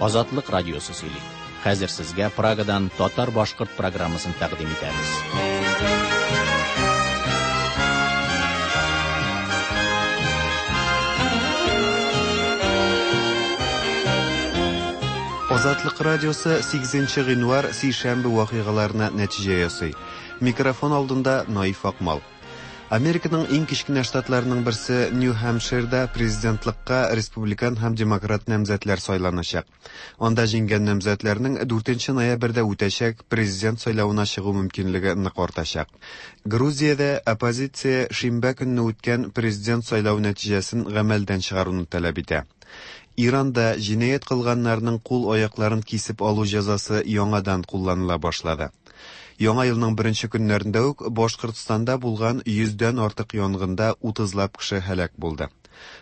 Азатлык радиосы сөйли. Хәзер сезгә Прагадан татар-башкорт программасын тәкъдим итәбез. Азатлык радиосы 8 гыйнвар сишәмбе вакыйгаларына нәтиҗә ясый. Микрофон алдында Наиф Акмал. Американың иң кечкенә штатларының берсе Нью-Хэмпширда президентлыкка республикан һәм демократ намзәтләр сайланачак. Анда җиңгән намзәтләрнең 4 ноябрьдә үтәчәк президент сайлавына чыгу мөмкинлеге нык артачак. Грузиядә оппозиция шимбә көнне үткән президент сайлау нәтиҗәсен гамәлдән чыгаруны таләп итә. Иранда җинаять кылганнарның кул-аякларын кисеп алу җәзасы яңадан кулланыла башлады. Яңа елның беренче көннәрендә үк Башкортстанда булган йөздән артык янгында утызлап кеше һәлак булды.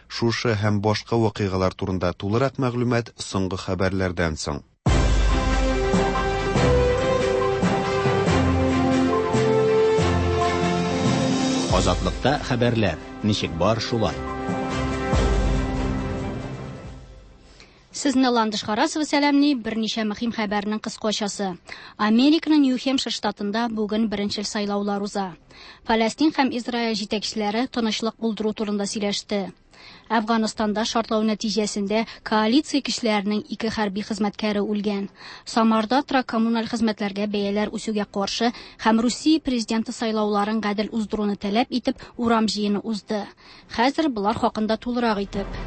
Шушы һәм башка вакыйгалар турында тулырак мәгълүмат соңгы хәбәрләрдән соң. Азатлыкта хәбәрләр ничек бар шулай. Сезне Ландыш Харасова сәламли, берничә мөһим хәбәрнең кыскачасы. Американың Нью-Хемпшир штатында бүген беренчел сайлаулар уза. Фәләстин һәм Израиль җитәкчеләре тынычлык булдыру турында сөйләште. Әфганстанда шартлау нәтиҗәсендә коалиция көчләренең ике хәрби хезмәткәре үлгән. Самарда торак-коммуналь хезмәтләргә бәяләр үсүгә каршы һәм Русия президенты сайлауларын гадел уздыруны таләп итеп урам җыены узды. Хәзер болар хакында тулырак итеп.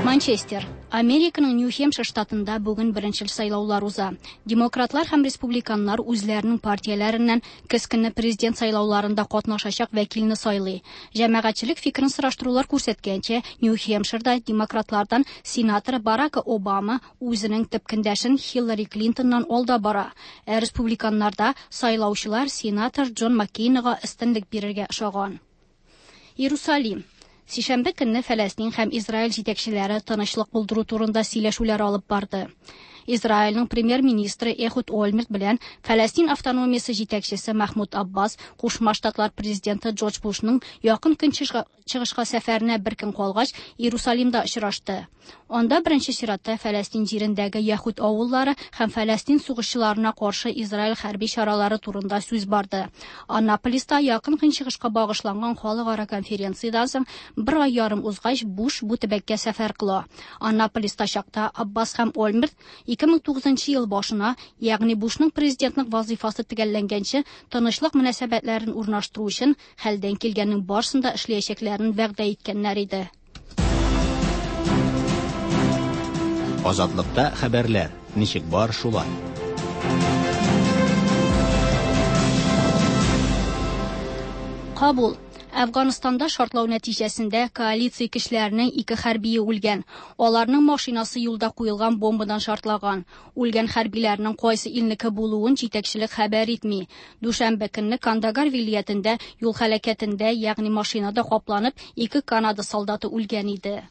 Манчестер. Американың Нью-Хемпшир штатында бүген беренчел сайлаулар уза. Демократлар һәм республиканнар үзләренең партияләреннән көз көне президент сайлауларында катнашачак вәкилне сайлый. Җәмәгатьчелек фикерен сораштырулар күрсәткәнчә, Нью-Хемпширда демократлардан сенатор Барак Обама үзенең төп көндәшен Хиллари Клинтоннан алда бара. Ә республиканнарда сайлаучылар сенатор Джон Маккейнга өстенлек бирергә ошаган. Иерусалим. Сишәмбе көнне Фәләстин һәм Израиль җитәкчеләре тынычлык булдыру турында сөйләшүләр алып барды. Израильнең премьер-министры Эхуд Ольмерт белән Фәләстин автономиясе җитәкчесе Махмуд Аббас Кушма Штатлар президенты Джордж Бушның якын көнчыгышка сәфәренә бер көн калгач Иерусалимда очрашты. Анда беренче чиратта Фәләстин җирендәге яһүд авыллары һәм Фәләстин сугышчыларына каршы Израиль хәрби чаралары турында сүз барды. Аннаполиста якын көнчыгышка багышланган халыкара конференциядән соң бер ай ярым узгач Буш бу төбәккә сәфәр кыла. Аннаполиста чакта Аббас һәм Ольмерт 2009 ел башына, ягъни Бушның президентлык вазифасы төгәлләнгәнче, тынычлык мөнәсәбәтләрен урнаштыру өчен хәлдән килгәннең барысын да эшләячәкләрен вәгъдә иткәннәр иде. Азатлыкта хәбәрләр ничек бар шулай. Кабул. Әфганстанда шартлау нәтиҗәсендә коалиция көчләренең ике хәрбие үлгән. Аларның машинасы юлда куелган бомбадан шартлаган. Үлгән хәрбиләрнең кайсы илнеке булуын җитәкчелек хәбәр итми. Дүшәмбе көнне Кандагар вилаятендә юл һәлакәтендә, ягъни машинада капланып, ике Канада солдаты үлгән иде.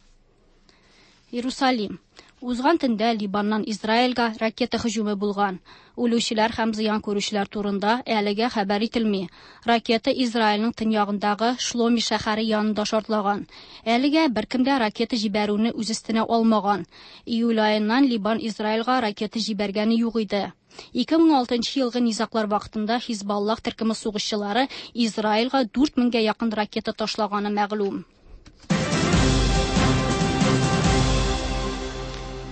Иерусалим. Узган төндә Либаннан Израильгә ракета һөҗүме булган. Үлүчеләр һәм зыян күрүчеләр турында әлегә хәбәр ителми. Ракета Израильнең төньягындагы Шломи шәһәре янында шартлаган. Әлегә беркем дә ракета җибәрүне үз өстенә алмаган. Июль аеннан Либан Израильгә ракета җибәргәне юк иде. 2006 елгы низаглар вакытында Хизбаллах төркеме сугышчылары Израильгә 4000гә якын ракета ташлаганы мәгълүм.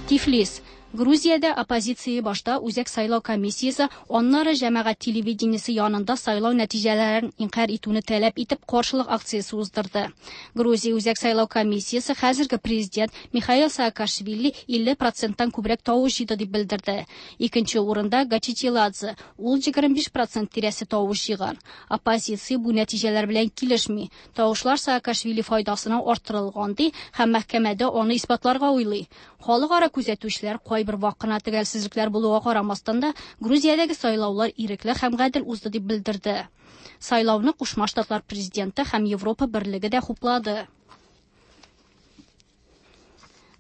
Тифлис. Грузиядә оппозиция башта Үзәк сайлау комиссиясе, аннары җәмәгать телевидениесе янында сайлау нәтиҗәләрен инкарь итүне таләп итеп каршылык акциясе уздырды. Грузия Үзәк сайлау комиссиясе хәзерге президент Михаил Саакашвили 50%-тан күбрәк тавыш җыйды дип белдерде. Икенче урында Гачечиладзе, ул 25% тирәсе тавыш җыйган. Оппозиция бу нәтиҗәләр белән килешми. Тавышлар Саакашвили файдасына арттырылган ди һәм мәхкәмәдә аны исбатларга уйлый. Халыкара күзәтүчеләр кайбер вак кына төгәлсезлекләр булуга карамастан да Грузиядәге сайлаулар ирекле һәм гадел узды дип белдерде. Сайлауны Кушма Штатлар президенты һәм Европа берлеге дә хуплады.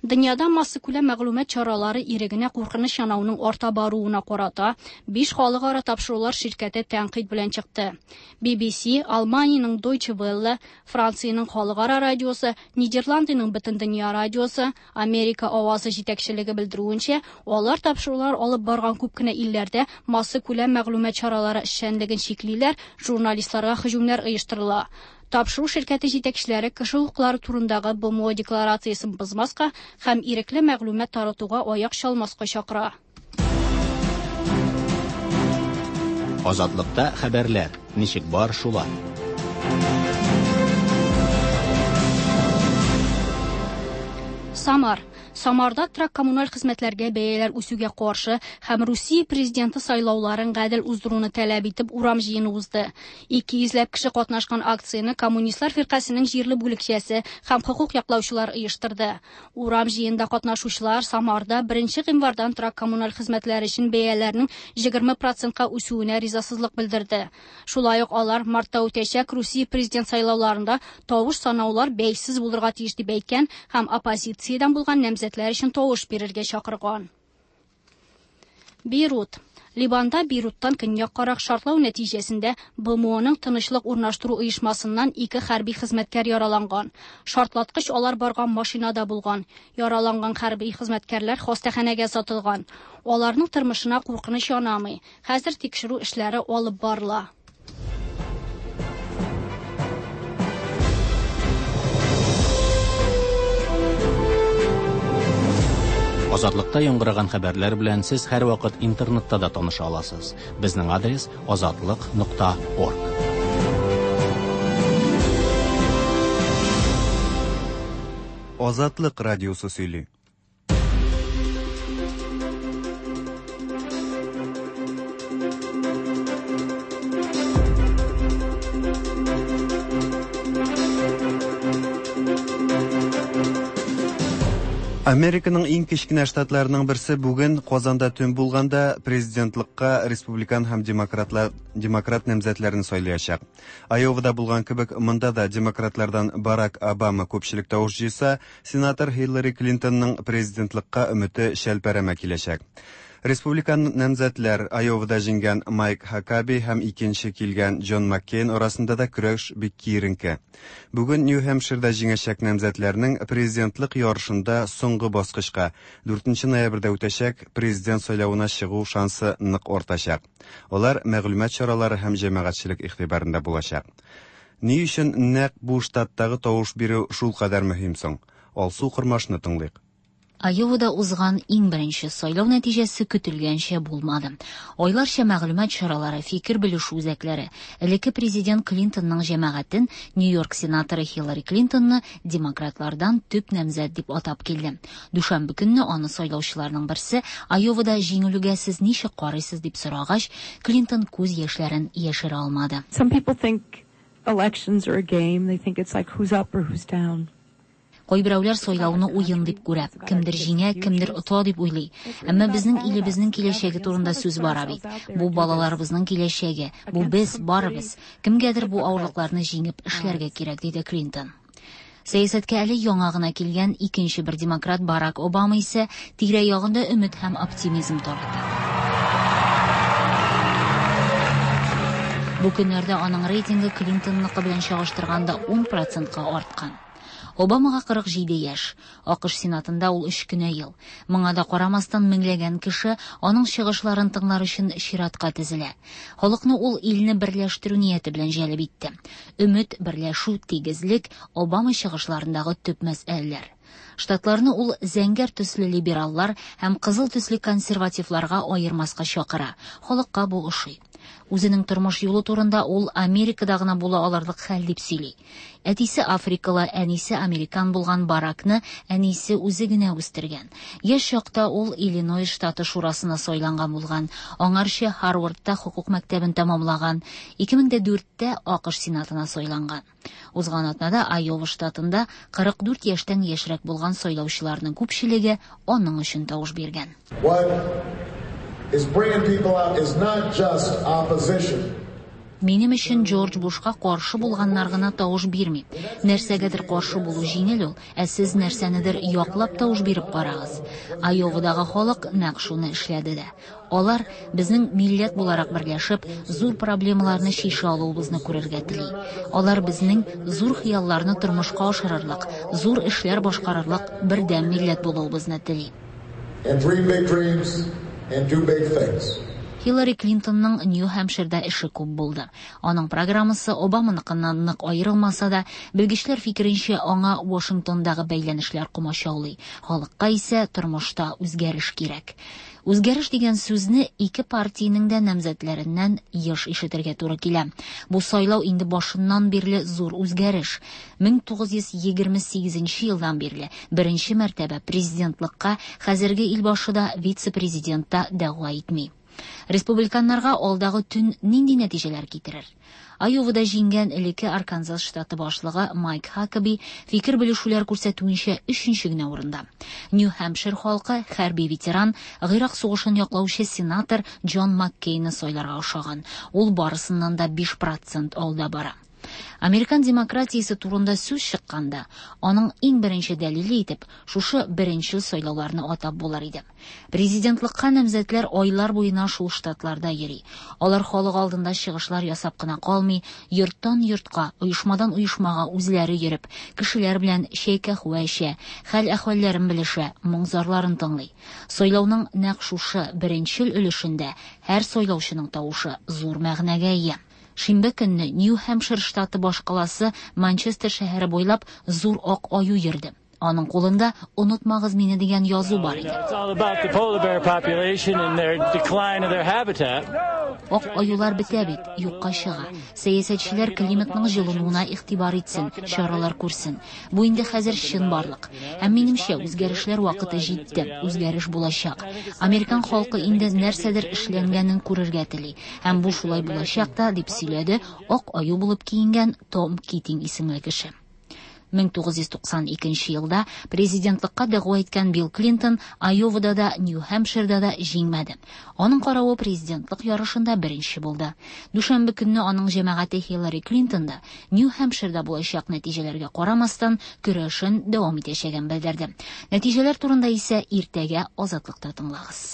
Дөньяда массакүләм мәгълүмат чаралары ирегенә куркыныч янауның арта баруына карата биш халыкара тапшырулар ширкәте тәнкыйть белән чыкты. BBC, Алманиянең Deutsche Welle, Франциянең халыкара радиосы, Нидерландының Бөтендөнья радиосы, Америка авазы җитәкчелеге белдерүенчә, алар тапшырулар алып барган күп кенә илләрдә массакүләм мәгълүмат чаралары эшчәнлеген чиклиләр, журналистларга һөҗүмнәр оештырыла. Тапшыру ширкәте җитәкчеләре кеше хокуклары турындагы БМО декларациясен бозмаска һәм ирекле мәгълүмат таратуга аяк чалмаска чакыра. Азатлыкта хәбәрләр ничек бар шулай. Самар. Самарда торак коммуналь хезмәтләргә бәяләр үсүгә каршы һәм Русия президенты сайлауларын гадел уздыруны таләп итеп урам җыены узды. 200 ләп кеше катнашкан акцияне Коммунистлар фиркасының җирле бүлекчәсе һәм хокук яклаучылар оештырды. Урам җыенында катнашучылар Самарда 1 гыйнвардан торак коммуналь хезмәтләр өчен бәяләрнең 20%ка үсүенә ризасызлык белдерде. Шулай ук алар мартта үтәчәк Русия президент сайлауларында тавыш санаулар бәйсез булырга тиеш дип әйткән һәм оппозициядән булган намзәтләр өчен тавыш бирергә чакырган. Бейрут. Ливанда Бейруттан көньяккарак шартлау нәтиҗәсендә БМОның тынычлык урнаштыру оешмасыннан 2 хәрби хезмәткәр яраланган. Шартлаткыч алар барган машинада булган. Яраланган хәрби хезмәткәрләр хастаханәгә озатылган. Аларның тормышына куркыныч янамый. Хәзер тикшерү эшләре алып барыла. Азатлыкта яңгыраган хәбәрләр белән сез һәрвакыт интернетта да таныша аласыз. Безнең адрес azatliq.org. Азатлык радиосы сөйли. Американың иң кечкенә штатларының берсе бүген Казанда төн булганда президентлыкка республикан һәм демократ намзәтләрен сайлаячак. Айовада булган кебек, монда да демократлардан Барак Обама күпчелек тавыш җыйса, сенатор Хиллари Клинтонның президентлыкка өмете шәлпәрәмә киләчәк. Республикан намзәтләр Айовада җиңгән Майк Хакаби һәм икенче килгән Джон Маккейн арасында да көрәш бик киеренке. Бүген Нью-Хэмпширда җиңәчәк намзәтләрнең президентлык ярышында соңгы баскычка 4 ноябрьдә үтәчәк президент сайлавына чыгу шансы нык артачак. Алар мәгълүмат чаралары һәм җәмәгатьчелек игътибарында булачак. Ни өчен нәкъ бу штаттагы тавыш бирү шулкадәр мөһим соң? Алсу Кормашны тыңлыйк. Айовада узган иң беренче сайлау нәтиҗәсе көтелгәнчә булмады. Айларча мәгълүмат чаралары, фикер белешү үзәкләре элекке президент Клинтонның җәмәгатен Нью-Йорк сенаторы Хиллари Клинтонны демократлардан төп намзәт дип атап килде. Дүшәмбе көнне аны сайлаучыларның берсе Айовада җиңелүгә сез ничек карыйсыз дип сорагач, Клинтон күз яшьләрен яшерә алмады. Some people think elections are a game. They think it's like who's up or who's down. Кайберәүләр сайлауны уен дип күрә. Кемдер җиңә, кемдер ота дип уйлый. Әмма безнең илебезнең киләчәге турында сүз бара бит. Бу балаларыбызның киләчәге. Бу без, барыбыз. Кемгәдер бу авырлыкларны җиңеп эшләргә кирәк, диде Клинтон. Сәясәткә әле яңа гына килгән икенче бер демократ Барак Обама исә тирә-ягында өмет һәм оптимизм таратты. Бу көннәрдә аның рейтингы Клинтонныкы белән чагыштырганда 10%-ка арткан. Обамага 47 яшь. АКШ Сенатында ул 3 кенә ел. Моңа да карамастан меңләгән кеше аның чыгышларын тыңлар өчен чиратка тезелә. Халыкны ул илне берләштерү нияте белән җәлеп итте. Өмет, берләшү, тигезлек Обама чыгышларындагы төп мәсьәләләр. Штатларны ул зәңгәр төсле либераллар һәм кызыл төсле консервативларга аермаска чакыра. Халыкка бу ошый. Үзенең тормыш юлы турында ул Америкада гына була алырлык хәл дип сөйли. Әтисе африкалы, әнисе американ булган Баракны әнисе үзе генә үстергән. Яшь чакта ул Иллинойс штаты шурасына сайланган булган. Аңарчы Харвардта хокук мәктәбен тәмамлаган. 2004-тә АКШ Сенатына сайланган. Узган атнада Айова штатында 44 яшьтән яшьрәк булган сайлаучыларның күпчелеге аның өчен тавыш биргән. What is bringing people out is not just opposition. Минем өчен Джордж Бушка каршы булганнар гына тавыш бирми. Нәрсәгәдер каршы булу җиңел ул, ә сез нәрсәнедер яклап тавыш биреп карагыз. Айовадагы халык нәкъ шуны эшләде дә. Алар безнең милләт буларак берләшеп, зур проблемаларны чишә алуыбызны күрергә тели. Алар безнең зур хыялларны тормышка ашырырлык, зур эшләр башкарырлык бердәм милләт булуыбызны тели. And dream big dreams and do big things. Хиллари Клинтонның Нью-Хэмпширда эше күп булды. Аның программасы Обаманыкыннан нык аерылмаса да, белгечләр фикеренчә, аңа Вашингтондагы бәйләнешләр комачаулый. Халыкка исә тормышта үзгәреш кирәк. Үзгәреш дигән сүзне ике партиянең дә намзәтләреннән еш ишетергә туры килә. Бу сайлау инде башыннан бирле зур үзгәреш. 1928 елдан бирле беренче мәртәбә президентлыкка хәзерге илбашы да, вице-президент та дәгъва итми. Республиканнарга алдагы төн нинди нәтиҗәләр китерер? Айовада җиңгән элекке Арканзас штаты башлыгы Майк Хакаби фикер белешүләр күрсәтүенчә өченче генә урында. Нью-Хэмпшир халкы хәрби ветеран, Гыйрак сугышын яклаучы сенатор Джон Маккейны сайларга ошаган. Ул барысыннан да 5% алда бара. Американ демократиясе турында сүз чыкканда, аның иң беренче дәлиле итеп шушы беренче сайлауларны атап булыр иде. Президентлыкка намзәтләр айлар буена шул штатларда йөри. Алар халык алдында чыгышлар ясап кына калмый, йорттан йортка, оешмадан оешмага үзләре йөреп, кешеләр белән чәй-каһвә эчә, хәл-әхвәлләрен белешә, моң-зарларын тыңлый. Сайлауның нәкъ шушы беренчел өлешендә һәр сайлаучының тавышы зур мәгънәгә ия. Шимбә көнне Нью-Хэмпшир штаты башкаласы Манчестер шәһәре буйлап зур ак аю йөрде. Аның кулында «Онытмагыз мине» дигән язу бар иде. Ак аюлар бетә бит, юкка чыга. Сәясәтчеләр климатның җылынуына игътибар итсен, чаралар күрсен. Бу инде хәзер чынбарлык. Һәм минемчә, үзгәрешләр вакыты җитте, үзгәреш булачак. Американ халкы инде нәрсәдер эшләнгәнен күрергә тели. Һәм бу шулай булачак та, дип сөйләде ак аю булып киенгән Том Китинг исемле кеше. 1992 елда президентлыкка дәгъва иткән Билл Клинтон Айовада да, Нью-Хэмпширда да җиңмәде. Аның каравы президентлык ярышында беренче булды. Дүшәмбе көнне аның җәмәгате Хиллари Клинтон да Нью-Хэмпширда булачак нәтиҗәләргә карамастан көрәшен дәвам итәчәген белдерде. Нәтиҗәләр турында исә иртәгә Азатлыкта тыңлагыз.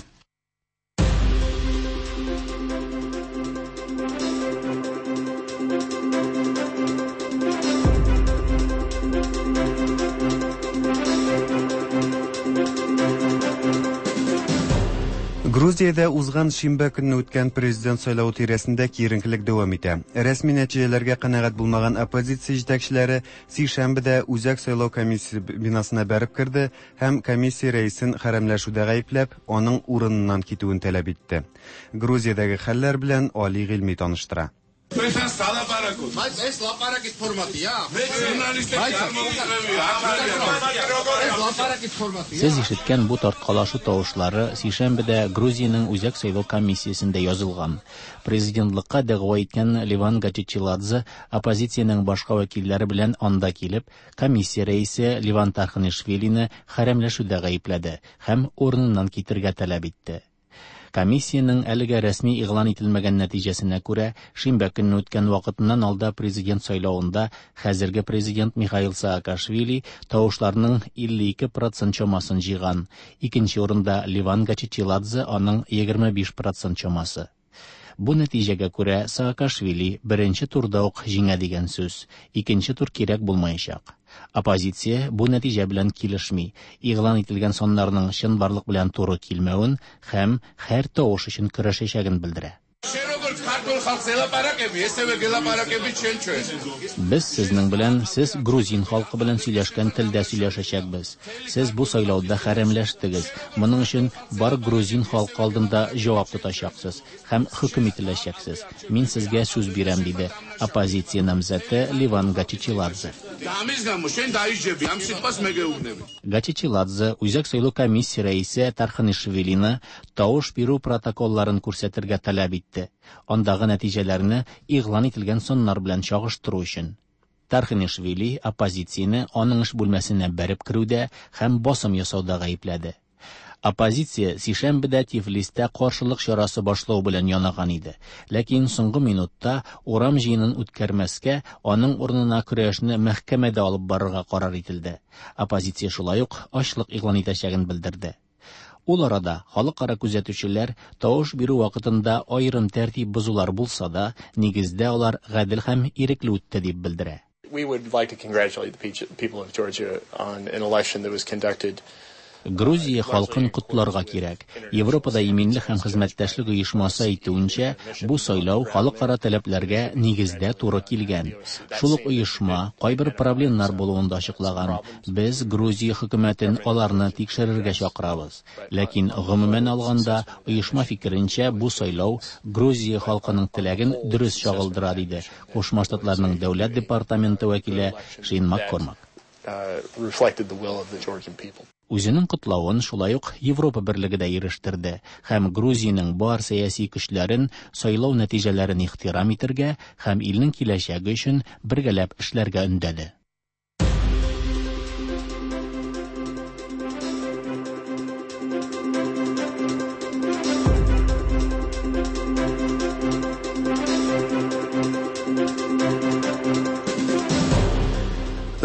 Грузиядә узган шимбә көнне үткән президент сайлавы тирәсендә киеренкелек дәвам итә. Рәсми нәтиҗәләргә канәгать булмаган оппозиция җитәкчеләре сишәмбедә Үзәк сайлау комиссиясе бинасына бәреп керде һәм комиссия рәисен хәрәмләшүдә гаепләп, аның урыныннан китүен таләп итте. Грузиядәге хәлләр белән Али Гыйльми таныштыра. Сез ишеткән бу тарткалашу тавышлары сишәмбедә Грузиянең Үзәк сайлау комиссиясендә язылган. Президентлыкка дәгъва иткән Леван Гачечиладзе оппозициянең башка вәкилләре белән анда килеп, комиссия рәисе Леван Тарханишвилины хәрәмләшүдә гаепләде һәм урыныннан китергә таләп итте. Комиссиянең әлегә рәсми игълан ителмәгән нәтиҗәсенә күрә, шимбә көнне үткән вакытыннан алда президент сайлавында хәзерге президент Михаил Саакашвили тавышларның 52% чамасын җыйган. Икенче урында Леван Гачечиладзе аның 25% чамасы. Бу нәтиҗәгә күрә Саакашвили беренче турда ук җиңә дигән сүз, икенче тур кирәк булмаячак. Оппозиция бу нәтиҗә белән килешми, игълан ителгән саннарның чынбарлык белән туры килмәвен һәм һәр тавыш өчен көрәшәчәген белдерә. Без сезнең белән, сез грузин халкы белән сөйләшкән телдә сөйләшәчәкбез. Сез бу сайлауда хәрәмләштегез. Моның өчен бар грузин халкы алдында җавап тотачаксыз һәм хөкем ителәчәксез. Мин сезгә сүз бирәм, диде оппозиция намзәте Леван Гачечиладзе. Гачечиладзе Үзәк сайлау комиссия рәисе Тарханишвилины тавыш бирү протоколларын күрсәтергә таләп итте. Андагы нәтиҗәләрне игълан ителгән саннар белән чагыштыру өчен. Тарханишвили оппозицияне аның эш бүлмәсенә бәреп керүдә һәм басым ясауда гаепләде. Оппозиция сишәмбедә Тифлистә каршылык чарасы башлау белән янаган иде. Ләкин соңгы минутта урам җыенын үткәрмәскә, аның урынына көрәшне мәхкәмәдә алып барырга карар ителде. Оппозиция шулай ук ачлык игълан итәчәген белдерде. Ул арада халыкара күзәтүчеләр тавыш бирү вакытында аерым тәртип бозулар булса да, нигездә алар гадел һәм ирекле үтте дип белдерә. We would like to congratulate the people of Georgia on an election that was conducted. Грузия халкын котларга кирәк. Европада иминлек һәм хезмәттәшлек оешмасы әйтүенчә, бу сайлау халыкара таләпләргә нигездә туры килгән. Шул ук оешма кайбер проблемнар булуын да ачыклаган. Без Грузия хөкүмәтен аларны тикшерергә чакырабыз. Ләкин гомумән алганда, оешма фикеренчә, бу сайлау Грузия халкының теләген дөрес чагылдыра, диде Кушма Штатларның Дәүләт департаменты вәкиле Шейн Маккормак. Reflected the will of the Georgian people. Үзенең котлавын шулай ук Европа Берлеге дә ирештерде һәм Грузиянең бар сәяси көчләрен сайлау нәтиҗәләрен ихтирам итергә һәм илнең киләчәге өчен бергәләп эшләргә өндәде.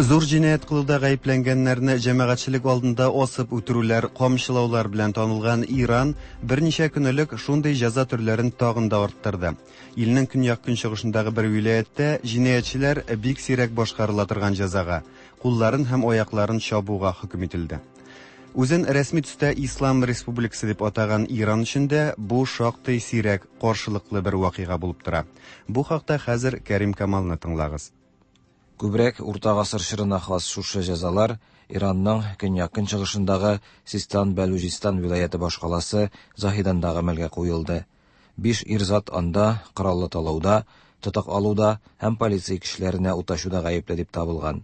Зур җинаять кылуда гаепләнгәннәрне җәмәгатьчелек алдында асып үтерүләр, камчылаулар белән танылган Иран берничә көн элек шундый җәза төрләрен тагын да арттырды. Илнең көньяк-көнчыгышындагы бер вилаятьтә җинаятьчеләр бик сирәк башкарыла торган җәзага, кулларын һәм аякларын чабуга хөкем ителде. Үзен рәсми төстә Ислам республикасы дип атаган Иран өчен дә бу шактый сирәк, каршылыклы бер вакыйга булып тора. Бу хакта хәзер Кәрим Камалны тыңлагыз. Күбрәк урта гасыр чорына хас шушы җәзалар Иранның көньяк-көнчыгышындагы Систан-Бәлүҗистан вилаяте башкаласы Заһиданда гамәлгә куелды. Биш ир-зат анда кораллы талауда, тотык алуда һәм полиция кешеләренә ут ачуда гаепле дип табылган.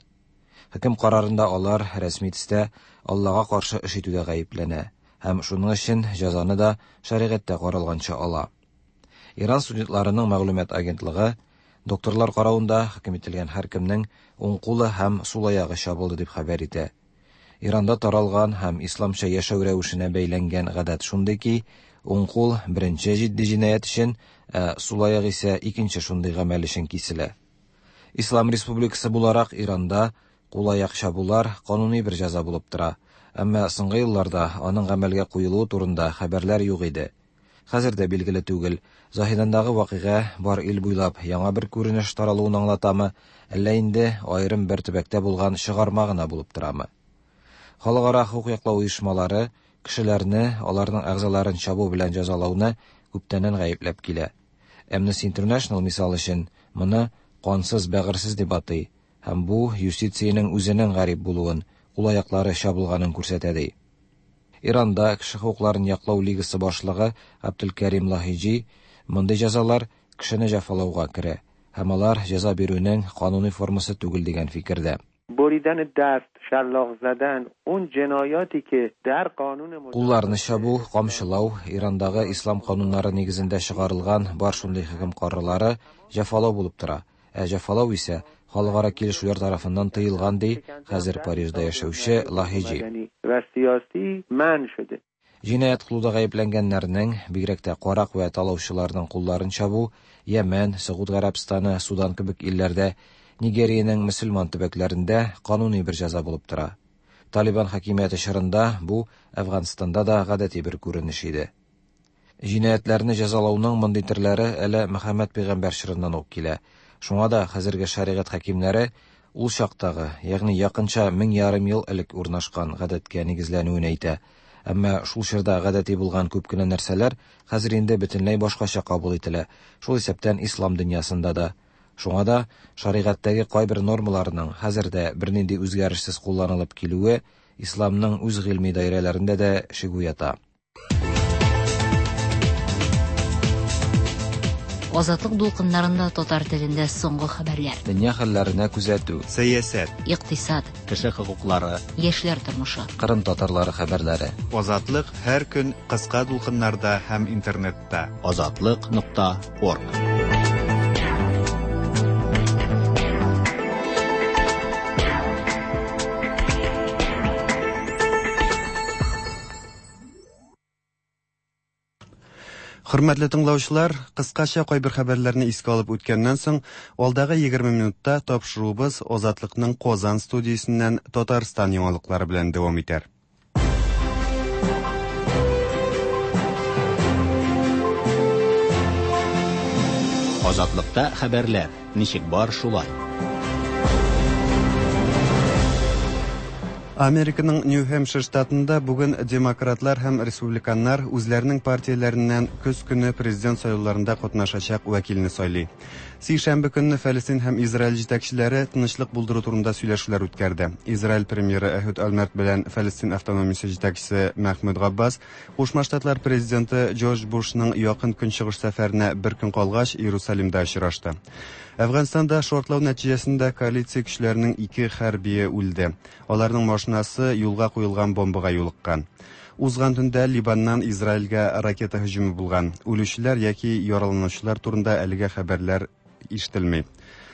Хөкем карарында алар рәсми төстә Аллага каршы эш итүдә гаепләнә һәм шуның өчен җәзаны да шәригатьтә каралганча ала. Иран студентларының мәгълүмат агентлыгы докторлар каравында хөкем ителгән һәркемнең уң кулы һәм сул аягы чабылды дип хәбәр итә. Иранда таралган һәм исламча яшәү рәвешенә бәйләнгән гадәт шундый ки, уң кул беренче җитди җинаять өчен, ә сул аяк исә икенче шундый гамәл өчен киселә. Ислам республикасы буларак Иранда кул-аяк чабулар кануни бер җәза булып тора, әмма соңгы елларда аның гамәлгә куелуы турында хәбәрләр юк иде. Хәзер дә билгеле түгел, Заһидандагы вакыйга бар ил буйлап яңа бер күренеш таралуын аңлатамы, әллә инде аерым бер төбәктә булган чыгарма гына булып торамы. Халыкара хокук яклау оешмалары кешеләрне, аларның әгъзаларын чабу белән җәзалауны күптәннән гаепләп килә. Amnesty International, мисал өчен, моны кансыз, бәгырьсез дип атый һәм бу юстициянең үзенең гарип булуын, кул-аяклары чабылганын күрсәтә ди. Иранда кеше хокукларын яклау лигасы башлыгы Габделкәрим Лаһиҗи мондый җәзалар кешене җәфалауга керә һәм алар җәза бирүнең кануни формасы түгел дигән фикердә. Кулларны чабу, камчылау, Ирандагы ислам кануннары нигезендә чыгарылган бар шундый хөкем карарлары җәфалау булып тора, ә җәфалау исә халыкара килешүләр тарафыннан тыелган, ди хәзер Парижда яшәүче Лаһиҗи. Җинаять кылуда гаепләнгәннәрнең, бигрәк тә карак вә талаучыларның кулларын чабу Йәмән, Согуд Гарәбстаны, Судан кебек илләрдә, Нигериянең мөселман төбәкләрендә кануни бер җәза булып тора. Талибан хакимияте чорында бу Әфганстанда да гадәти бер күренеш иде. Җинаятьләрне җәзалауның мондый төрләре әле Мөхәммәд пәйгамбәр чорыннан ук килә. Шуңа да хәзерге шәригать хакимнәре ул чактагы, ягъни якынча 1500 ел элек урнашкан гадәткә нигезләнүен әйтә. Әмма шул чорда гадәти булган күп кенә нәрсәләр хәзер инде бөтенләй башкача кабул ителә, шул исәптән ислам дөньясында да. Шуңа да шәригатьтәге кайбер нормаларның хәзер дә бернинди үзгәрешсез кулланылып килүе исламның үз гыйльми даирәләрендә дә шик уята. Азатлык дулкыннарында татар телендә соңгы хәбәрләр. Дөнья хәлләренә күзәтү. Сәясәт. Икътисад. Кеше хокуклары. Яшьләр тормышы. Кырым татарлары хәбәрләре. Азатлык һәр көн кыска дулкыннарда һәм интернетта. Азатлык нокта орг. Хөрмәтле тыңлаучылар, кыскача кайбер хәбәрләрне искә алып үткәннән соң, алдагы 20 минутта тапшыруыбыз Азатлыкның Казан студиясеннән Татарстан яңалыклары белән дәвам итәр. Азатлыкта хәбәрләр, ничек бар шулай. Американың Нью-Хэмпшир штатында бүген демократлар һәм республиканнар үзләренең партияләреннән көз көне президент сайлауларында катнашачак вәкилне сайлый. Сишәмбе көнне Фәлестин һәм Израиль җитәкчеләре тынычлык булдыру турында сөйләшүләр үткәрде. Израиль премьеры Эхуд Ольмерт белән Фәлестин автономиясе җитәкчесе Мәхмүд Габбас Кушма Штатлар президенты Джордж Бушның якын көнчыгыш сәфәренә бер көн калгач Иерусалимда очрашты. Әфганстанда шартлау нәтиҗәсендә коалиция көчләренең ике хәрбие үлде. Аларның машинасы юлга куелган бомбага юлыккан. Узган төндә Либаннан Израильгә ракета һөҗүме булган. Үлүчеләр яки яраланучылар турында әлегә хәбәрләр ишетелми.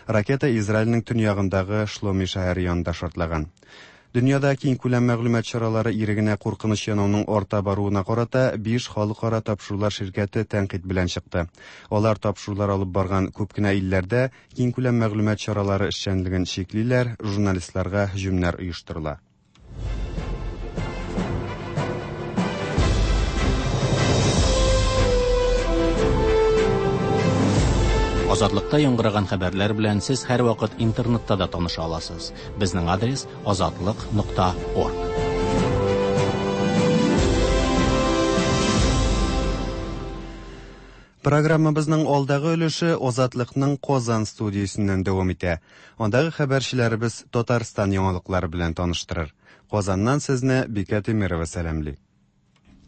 Ракета Израильнең төньягындагы Шломи шәһәре янында шартлаган. Дөньяда киңкүләм мәгълүмат чаралары ирегенә куркыныч янауның арта баруына карата биш халыкара тапшырулар ширкәте тәнкыйть белән чыкты. Алар тапшырулар алып барган күп кенә илләрдә киңкүләм мәгълүмат чаралары эшчәнлеген чиклиләр, журналистларга һөҗүмнәр оештырыла. Азатлыкта яңгыраган хәбәрләр белән сез һәрвакыт интернетта да таныша аласыз. Безнең адрес азатлык.орг. Программабызның алдагы өлеше Азатлыкның Казан студиясеннән дәвам итә. Андагы хәбәрчеләребез Татарстан яңалыклары белән таныштырыр. Казаннан сезне Бикә Тимирова сәламли.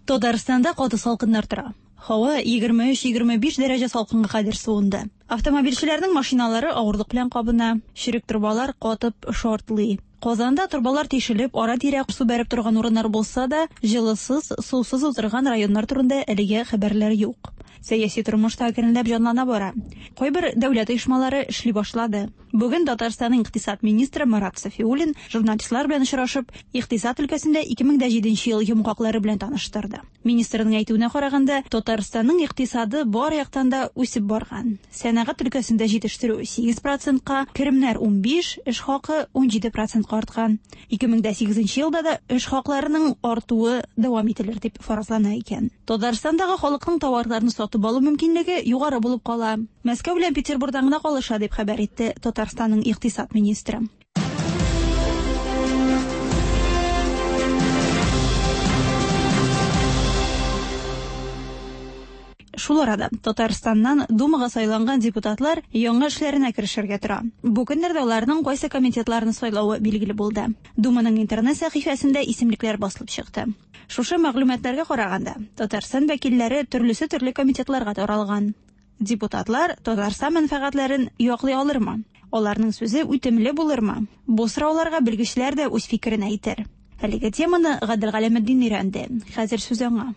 Татарстанда каты салкыннар тора. Һава 23-25 дәрәҗә салкынга кадәр суынды. Автомобильчеләрнең машиналары авырлык белән кабына, черек торбалар катып шартлый. Казанда торбалар тишелеп, ара-тирә су бәреп торган урыннар булса да, җылысыз, сусыз утырган районнар турында әлегә хәбәрләр юк. Сәяси тормыш та әкренләп җанлана бара. Кайбер дәүләт оешмалары эшли башлады. Бүген Татарстанның икътисад министры Марат Сафиуллин журналистлар белән очрашып, икътисад өлкәсендә 2007 ел йомгаклары белән таныштырды. Министрның әйтүенә караганда, Татарстанның икътисады бар яктан да үсеп барган. Сәнәгать өлкәсендә җитештерү 8%-ка, керемнәр 15, эш хакы 17%-ка арткан. 2008 елда да эш хакларының артуы дәвам ителер дип фаразлана икән. Татарстандагы халыкның товарларны сатып алу мөмкинлеге югары булып кала. Мәскәү белән Петербургтан гына калыша дип хәбәр итте Татарстанның икътисад министры. Шул арада Татарстаннан Думага сайланган депутатлар яңа эшләренә керешергә тора. Бу көннәрдә аларның кайсы комитетларны сайлавы билгеле булды. Думаның интернет сәхифәсендә исемлекләр басылып чыкты. Шушы мәгълүматларга караганда, Татарстан вәкилләре төрлесе төрле комитетларга таралган. Депутатлар Татарстан мәнфәгатьләрен яклый алырмы? Аларның сүзе үтемле булырмы? Бу сорауларга белгечләр дә үз фикерен әйтер. Әлеге теманы Гадел Галәметдин өйрәнде. Хәзер сүз аңа.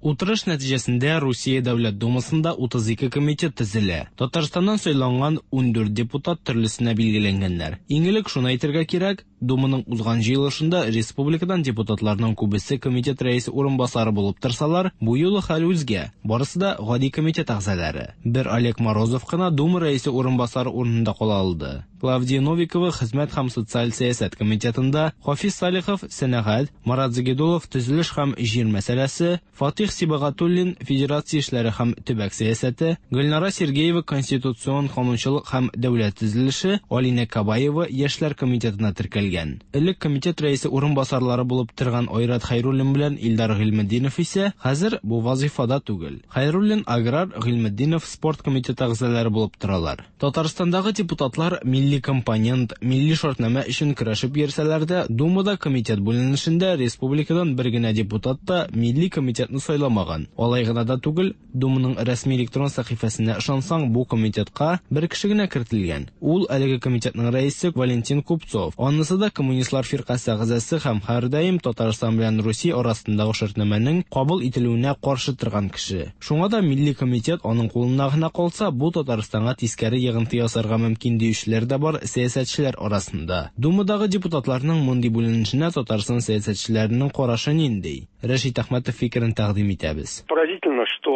Утырыш нәтиҗәсендә Русия Дәүләт Думасында 32 комитет төзелә. Татарстаннан сайланган 14 депутат төрлесенә билгеләнгәннәр. Иң элек шуны әйтергә кирәк, Думаның узган җыелышында республикадан депутатларның күбесе комитет рәисе урынбасары булып торсалар, бу юлы хәл үзгә. Барысы да гади комитет әгъзалары. Бер Олег Морозов кына Дума рәисе урынбасары урынында кала алды. Клавдия Новикова хезмәт һәм социаль сәясәт комитетында, Хафиз Салихов сәнәгать, Марат Загидулов төзелеш һәм җир мәсьәләсе, Фатих Сибагатуллин федерация эшләре һәм төбәк сәясәте, Гөлнара Сергеева конституцион канунчылык һәм дәүләт төзелеше, Алинә Кабаева яшьләр комитетына теркәлгән. Элек комитет рәисе урынбасарлары булып торган Айрат Хәйруллин белән Илдар Гыйльметдинов исә хәзер бу вазифада түгел. Хәйруллин аграр, Гыйльметдинов спорт комитеты әгъзалары булып торалар. Татарстандагы депутатлар милли компонент, милли шартнамә өчен көрәшеп йөрсәләр дә, Думада комитет бүленешендә республикадан бер генә депутат та милли комитетны сайламаган. Алай гына да түгел, Думаның рәсми электрон сәхифәсенә ышансаң, бу комитетка бер кеше генә кертелгән. Ул әлеге комитетның рәисе Валентин Купцов. Анысы да коммунистлар фиркасе әгъзасы һәм һәрдаим Татарстан белән Русия арасындагы шартнамәнең кабул ителүенә каршы торган кеше. Шуңа да милли комитет аның кулына гына калса, бу Татарстанга тискәре йогынты ясарга мөмкин диючеләр дә бар сәясәтчеләр арасында. Думадагы депутатларның мондый бүленешенә Татарстан сәясәтчеләренең карашы нинди? Рәшит Әхмәтов фикерен тәкъдим итәбез. Поразительно, что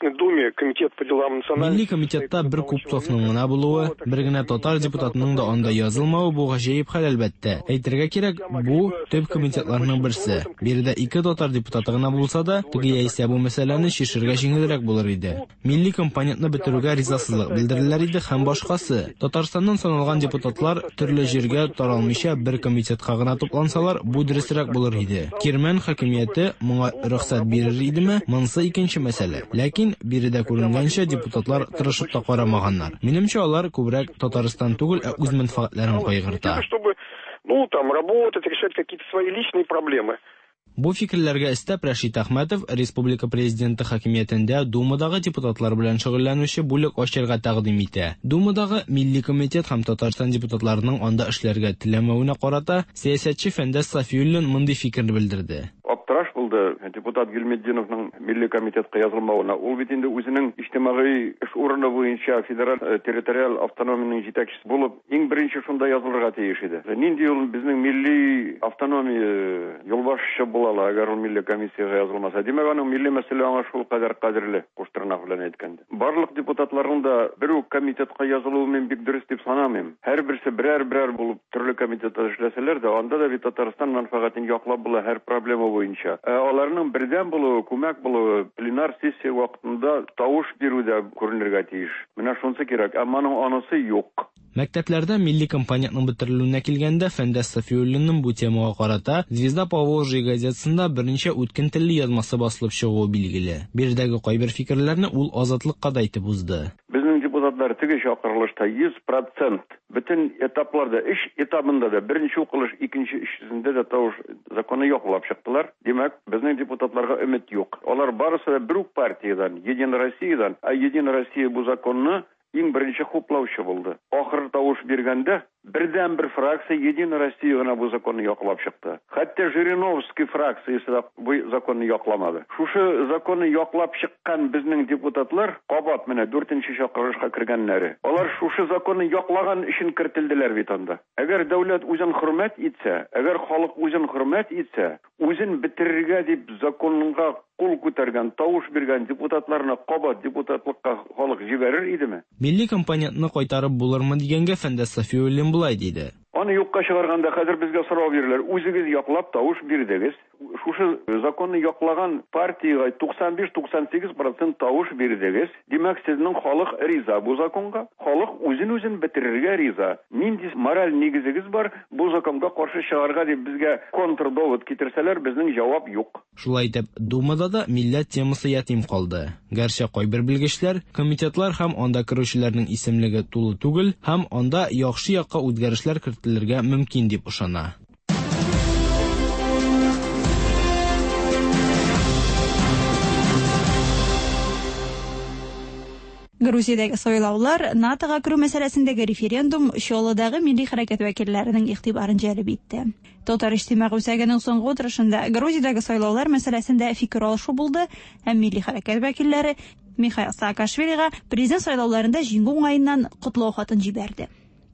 Государственной Думе комитет по делам национальных... Милли комитетта бер Купцовның гына булуы, бер генә татар депутатының да анда язылмавы бу гаҗәеп хәл, әлбәттә. Әйтергә кирәк, бу төп комитетларның берсе. Биредә ике татар депутаты гына булса да, теге яисә бу мәсьәләне чишергә җиңелрәк булыр иде. Милли компонентны бетерүгә ризасызлык белдерерләр иде һәм башкасы. Татарстаннан саналган депутатлар төрле җиргә таралмыйча бер комитетка гына туплансалар, бу дөресрәк булыр иде. Кирмән хакимияте моңа рөхсәт бирер идеме, монысы икенче мәсьәлә. Ләкин биредә күренгәнчә, депутатлар тырышып та карамаганнар. Минемчә, алар күбрәк Татарстан түгел, ә үз мәнфәгатьләрен кайгырта. Чтобы, ну, там, работать, решать какие-то свои личные проблемы. Бу фикерләргә өстәп, Рәшит Әхмәтов республика президенты хакимиятендә Думадагы депутатлар белән шөгыльләнүче бүлек ачарга тәкъдим итә. Думадагы Милли комитет һәм Татарстан депутатларының анда эшләргә теләмәвенә карата сәясәтче Фәндәс Сафиуллин мондый фикер белдерде. Аптыраш булды депутат Гильметдиновның Милли комитетка язылмавына. Ул бит инде үзенең иҗтимагый эш урыны буенча федераль территориаль автономиянең җитәкчесе булып, иң беренче шунда язылырга тиеш иде. Нинди ул безнең милли автономия юлбашчы була ала, әгәр ул милли комиссиягә язылмаса? Димәк, аның милли мәсьәлә аңа шул кадәр кадерле, куштырнак белән әйткәндә. Барлык депутатларның да бер үк комитетка язылуы мин бик дөрес дип санамыйм. Һәрберсе берәр-берәр булып төрле комитетта эшләсәләр дә, анда да бит Татарстан мәнфәгатен яклап була һәр проблема буенча. Ә аларның бердәм булуы, күмәк булуы пленар сессия вакытында тавыш бирүдә күренергә тиеш. Менә шунысы кирәк, әмма аның анысы юк. Мәктәпләрдә милли компонентның бетерелүенә килгәндә, Фәндәс Сафиуллинның бу темага карата «Звезда Поволжья» газетасында берничә үткен телле язмасы басылып чыгуы билгеле. Биредәге кайбер фикерләрне ул Азатлыкка да әйтеп узды. Безнең депутатлар теге чакырылышта 100% бөтен этапларда, өч этабында да, беренче укылыш, икенче, өченчесендә дә тавыш законы яклап чыктылар. Димәк, безнең депутатларга өмет юк. Алар барысы да бер үк партиядән, Единая Россиядән, ә Единая Россия бу законны иң беренче хуплаучы булды. Ахыр тавыш биргәндә бердән-бер фракция Единая Россия гына бу законны яклап чыкты. Хәтта Жириновский фракциясе дә бу законны якламады. Шушы законны яклап чыккан безнең депутатлар кабат менә дүртенче чакырылышка кергәннәре. Алар шушы законны яклаган өчен кертелделәр бит анда. Әгәр дәүләт үзен хөрмәт итсә, әгәр халык үзен хөрмәт итсә, үзен бетерергә дип законга кул күтәргән, тавыш биргән депутатларны кабат депутатлыкка халык җибәрер идеме? Милли компонентны кайтарып булырмы дигәнгә Фәндәс Сафиуллин болай диде. Аны юкка чыгарганда хәзер безгә сорау бирерләр. Үзегез яклап тавыш бирдегез. Шушы законны яклаган партиягә 95-98% тавыш бирдегез. Димәк, сезнең халык риза бу законга. Халык үзен-үзен бетерергә риза. Нинди мораль нигезегез бар бу законга каршы чыгарга дип безгә контрдовод китерсәләр, безнең җавап юк. Шулай итеп, Думада да милләт темасы ятим калды. Гәрчә кайбер белгечләр, комитетлар һәм анда керүчеләрнең исемлеге тулы түгел һәм анда яхшы якка үзгәрешләр кертелергә мөмкин дип ышана. Грузиядәге сайлаулар, НАТОга керү мәсьәләсендәге референдум Чаллыдагы милли хәрәкәт вәкилләренең игътибарын җәлеп итте. Татар иҗтимагый үзәгенең соңгы утырышында Грузиядәге сайлаулар мәсьәләсендә фикер алышу булды һәм милли хәрәкәт вәкилләре Михаил Саакашвилига президент сайлауларында җиңү уңаеннан котлау хатын җибәрде.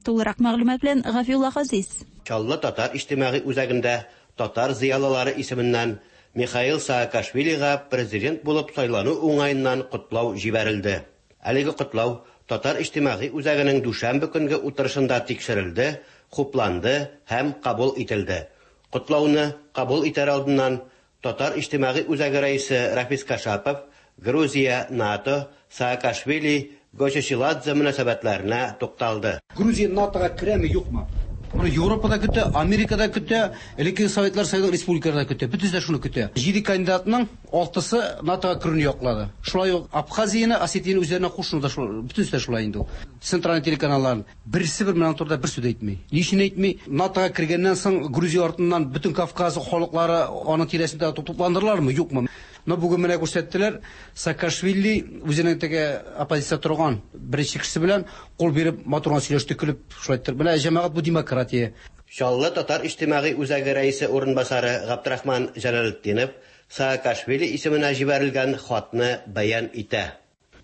Тулырак мәгълүмат белән Гафиулла Газиз. Чаллы татар иҗтимагый үзәгендә татар зыялылары исеменнән Михаил Саакашвилига президент булып сайлану уңаеннан котлау җибәрелде. Әлеге котлау Татар иҗтимагый үзәгенең дүшәмбе көнге утырышында тикшерелде, хупланды һәм кабул ителде. Котлауны кабул итәр алдыннан Татар иҗтимагый үзәге рәисе Рафис Кашапов Грузия, НАТО, Саакашвили, Гочечиладзе мөнәсәбәтләренә тукталды. Грузия НАТОга керәме, юкмы? Моны Европада көтә, Америкада көтә, элеккеге Советлар Союзының республикаларында көтә. Бөтенесе дә шуны көтә. 7 кандидатның 6-сы НАТОга керүне яклады. Шулай ук Абхазияне, Осетияне үзләренә кушуны да шул, бөтенесе дә шулай инде ул. Центральный телеканаллар берсе бер менә турыда бер сүз әйтми. Ни өчен әйтми? НАТОга кергәннән соң Грузия артыннан бөтен Кавказ халыклары аның тирәсендә тупландырылармы, юкмы? Но бүген менә күрсәттеләр, Саакашвили үзенең теге оппозиция торган беренче кешесе белән кул биреп матур гына сөйләште, көлеп шулай иттереп. Менә җәмәгать бу демократия. Чаллы татар иҗтимагый үзәге рәисе урынбасары Габдрахман Җәләлетдинов Саакашвили исеменә җибәрелгән хатны бәян итә.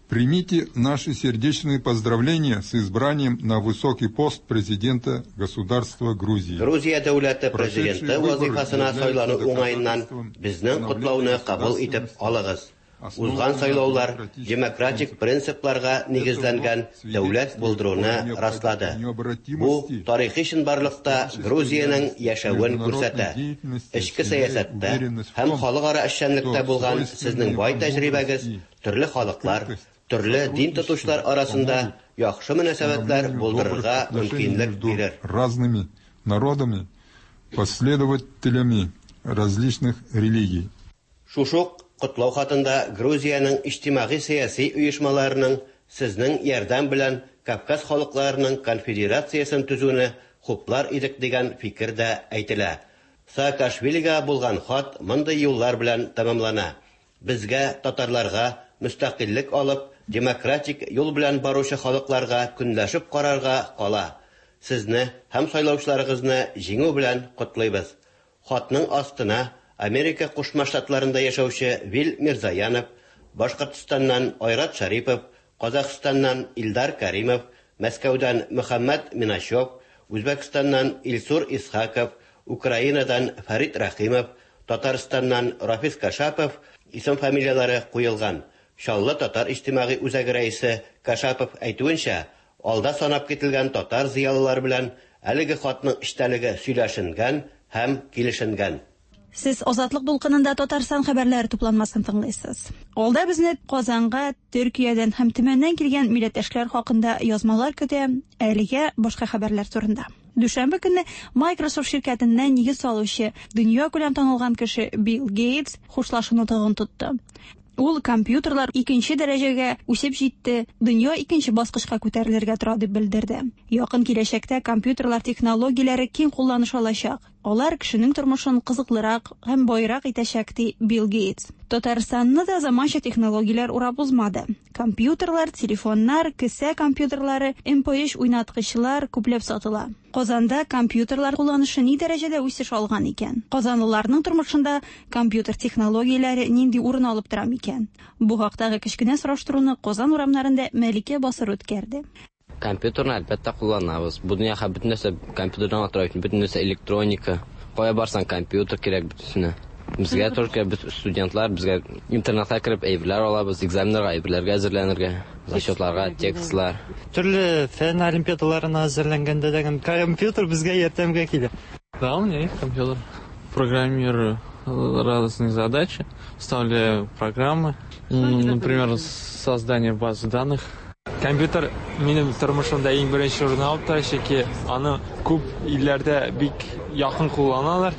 Примите наши сердечные поздравления с избранием на высокий пост президента государства Грузии. Грузия дәүләте президенты вазифасына сайлану уңаеннан безнең котлауны кабул итеп алыгыз. Узган сайлаулар демократик принципларга нигезләнгән дәүләт булдыруны раслады. Бу тарихи чынбарлыкта Грузиянең яшәвен күрсәтә. Эчке сәясәттә һәм халыкара эшчәнлектә булган сезнең бай тәҗрибәгез төрле халыклар, төрле дин тотучылар арасында яхшы мөнәсәбәтләр булдырырга мөмкинлек бирер. Разными народами, последователями различных религий. Шушы ук котлау хатында Грузиянең иҗтимагый-сәяси оешмаларының сезнең ярдәм белән Кавказ халыкларының конфедерациясен төзүне хуплар идек дигән фикер дә әйтелә. Саакашвилига булган хат мондый юллар белән тәмамлана, Безгә, татарларга, мөстәкыйльлек алып, демократик юл белән баручы халыкларга көнләшеп карарга кала. Сезне һәм сайлаучыларыгызны җиңү белән котлыйбыз. Хатның астына Америка Кушма Штатларында яшәүче Вил Мирзаянов, Башкортстаннан Айрат Шәрипов, Казахстаннан Илдар Кәримов, Мәскәүдән Мөхәммәт Миначев, Үзбәкстаннан Илсур Исхаков, Украинадан Фәрит Рәхимов, Татарстаннан Рафис Кашапов исем-фамилияләре куелган. Чаллы татар иҗтимагый үзәге рәисе Кашапов әйтүенчә, алда санап кителгән татар зыялылары белән әлеге хатның эчтәлеге сөйләшенгән һәм килешенгән. Сез Азатлык дулкынында Татарстан хәбәрләре тупланмасын тыңлыйсыз. Алда безне Казанга Төркиядән һәм Төмәннән килгән милләттәшләр хакында язмалар көтә, әлегә башка хәбәрләр турында. Дүшәмбе көнне Microsoft ширкәтенә нигез салучы, дөньякүләм танылган кеше Билл Гейтс хушлашу нотыгын тотты. Ул компьютерлар икенче дәрәҗәгә үсеп җитте, дөнья икенче баскычка күтәрелергә тора дип белдерде. Якын киләчәктә компьютерлар технологияләре киң кулланыш алачак. Алар кешенең тормышын кызыклырак һәм баерак итәчәк, ди Билл Гейтс. Татарстанны да заманча технологияләр урап узмады. Компьютерлар, телефоннар, кесә компьютерлары, MP3 уйнаткычлар күпләп сатыла. Казанда компьютерлар кулланышы ни дәрәҗәдә үсеш алган икән? Казанлыларның тормышында компьютер технологияләре нинди урын алып тора микән? Бу хактагы кечкенә сораштыруны Казан урамнарында Мәликә Басыр үткәрде. Компьютерны, әлбәттә, кулланабыз. Бу дөньяда бөтен нәрсә компьютердан гына тора бит, бөтен нәрсә электроника. Кая барсаң, компьютер кирәк бөтенесенә. Безгә только без студентлар, безгә интернетка кереп әйберләр алабыз, экзаменнарга әйберләргә әзерләнергә, зачетларга, текстлар. Төрле фән олимпиадаларына әзерләнгәндә дә компьютер безгә ярдәмгә килә. Да, у меня есть компьютер. Программирую разные задачи, составляю программы, например, создание базы данных. Компьютер минем тормышымда иң беренче урын алып тора, чөнки аны күп илләрдә бик якын кулланалар.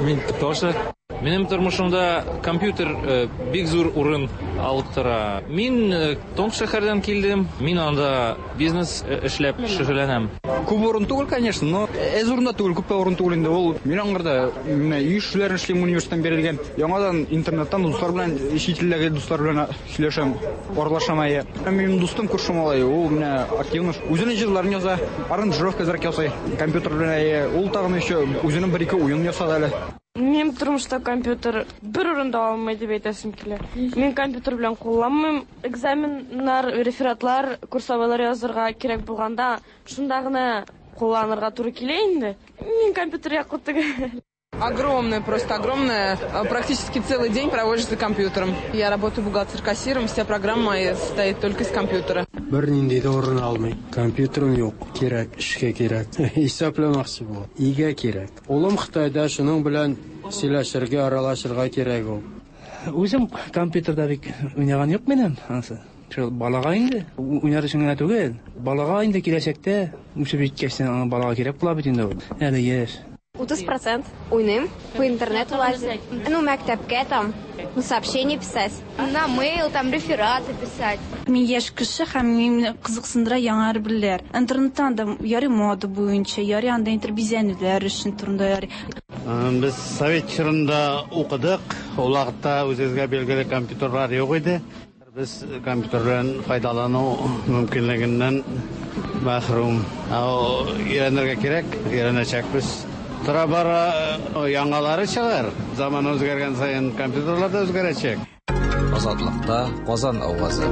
Мин тоже. Минем тормышымда компьютер э, бик зур урын алып тора. Мин э, Томск шәһәрдән килдем. Мин анда бизнес э, эшләп шөгыльләнәм. Күп урын түгел, конечно, но әз урында түгел, күп тә урын түгел инде. Ул мин аңарда менә өй эшләрен эшлим университеттан бирелгән. Яңадан интернеттан дуслар белән, чит илдәге дуслар белән сөйләшәм, аралашам әйе. Минем дустым күрше малай, ул менә активно үзенең җырларын яза, аранжировка әзрәк ясый компьютер белән әйе. Ул тагын еще үзенең бер-ике уен ясады әле. Минем тормышта компьютер бер урын да алмый дип әйтәсем килә. Мин компьютер белән кулланмыйм. Экзаменнар, рефератлар, курсовойлар язырга кирәк булганда, шунда гына кулланырга туры килә инде. Мин компьютер яклы түгел. Огромное, просто огромное. Практически целый день проводишь за компьютером. Я работаю бухгалтер-кассиром, вся программа моя состоит только из компьютера. Бернинди дә урын алмый. Компьютерым юк. Кирәк, эшкә кирәк. Исәпләмәкче була. Өйгә кирәк. Улым Кытайда, шуның белән сөйләшергә, аралашырга кирәк ул. Үзем компьютерда бик уйнаган юк минем, анысы. Шул балага инде, уйнар өчен генә түгел, балага инде киләчәктә үсеп җиткәч, аңа балага кирәк була бит инде ул. Әле яшь. 30 процент уйныйм, по интернету лазим. Ну, мәктәпкә там, ну, сообщение писать. На мейл там рефераты писать. Мин яшь кеше һәм мине кызыксындыра яңа әйберләр. Интернеттан да ярый мода буенча, ярый анда интер бизәнүләр өчен турында ярый. Без совет чорында укыдык. Ул вакытта үзебезгә билгеле компьютерлар юк иде. Без компьютер белән файдалану мөмкинлегеннән мәхрүм. Өйрәнергә кирәк, өйрәнәчәкбез. Тора-бара яңалары чыгар. Заман үзгәргән саен компьютерлар да үзгәрәчәк. Азатлыкта Казан авазы.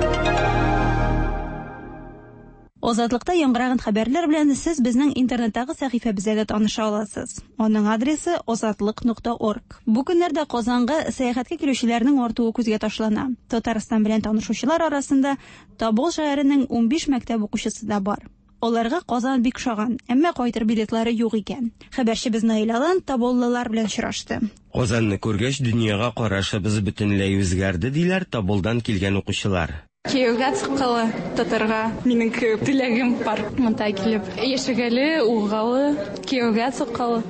Азатлыкта яңгыраган хәбәрләр белән сез безнең интернеттагы сәхифәбездә дә таныша аласыз. Аның адресы azatliq.org. Бу көннәрдә Казанга сәяхәткә килүчеләрнең артуы күзгә ташлана. Татарстан белән танышучылар арасында Тобол шәһәренең 15 мәктәп укучысы да бар. Аларга Казан бик ошаган, әмма кайтыр билетлары юк икән. Хәбәрчебез Наил Алан тоболлылар белән очрашты. Казанны күргәч, дөньяга карашыбыз бөтенләй үзгәрде, диләр Тоболдан килгән укучылар. Кияүгә чыккалы татарга минем теләгем бар монда килеп яшәгәле, угалы, кияүгә чыккалы.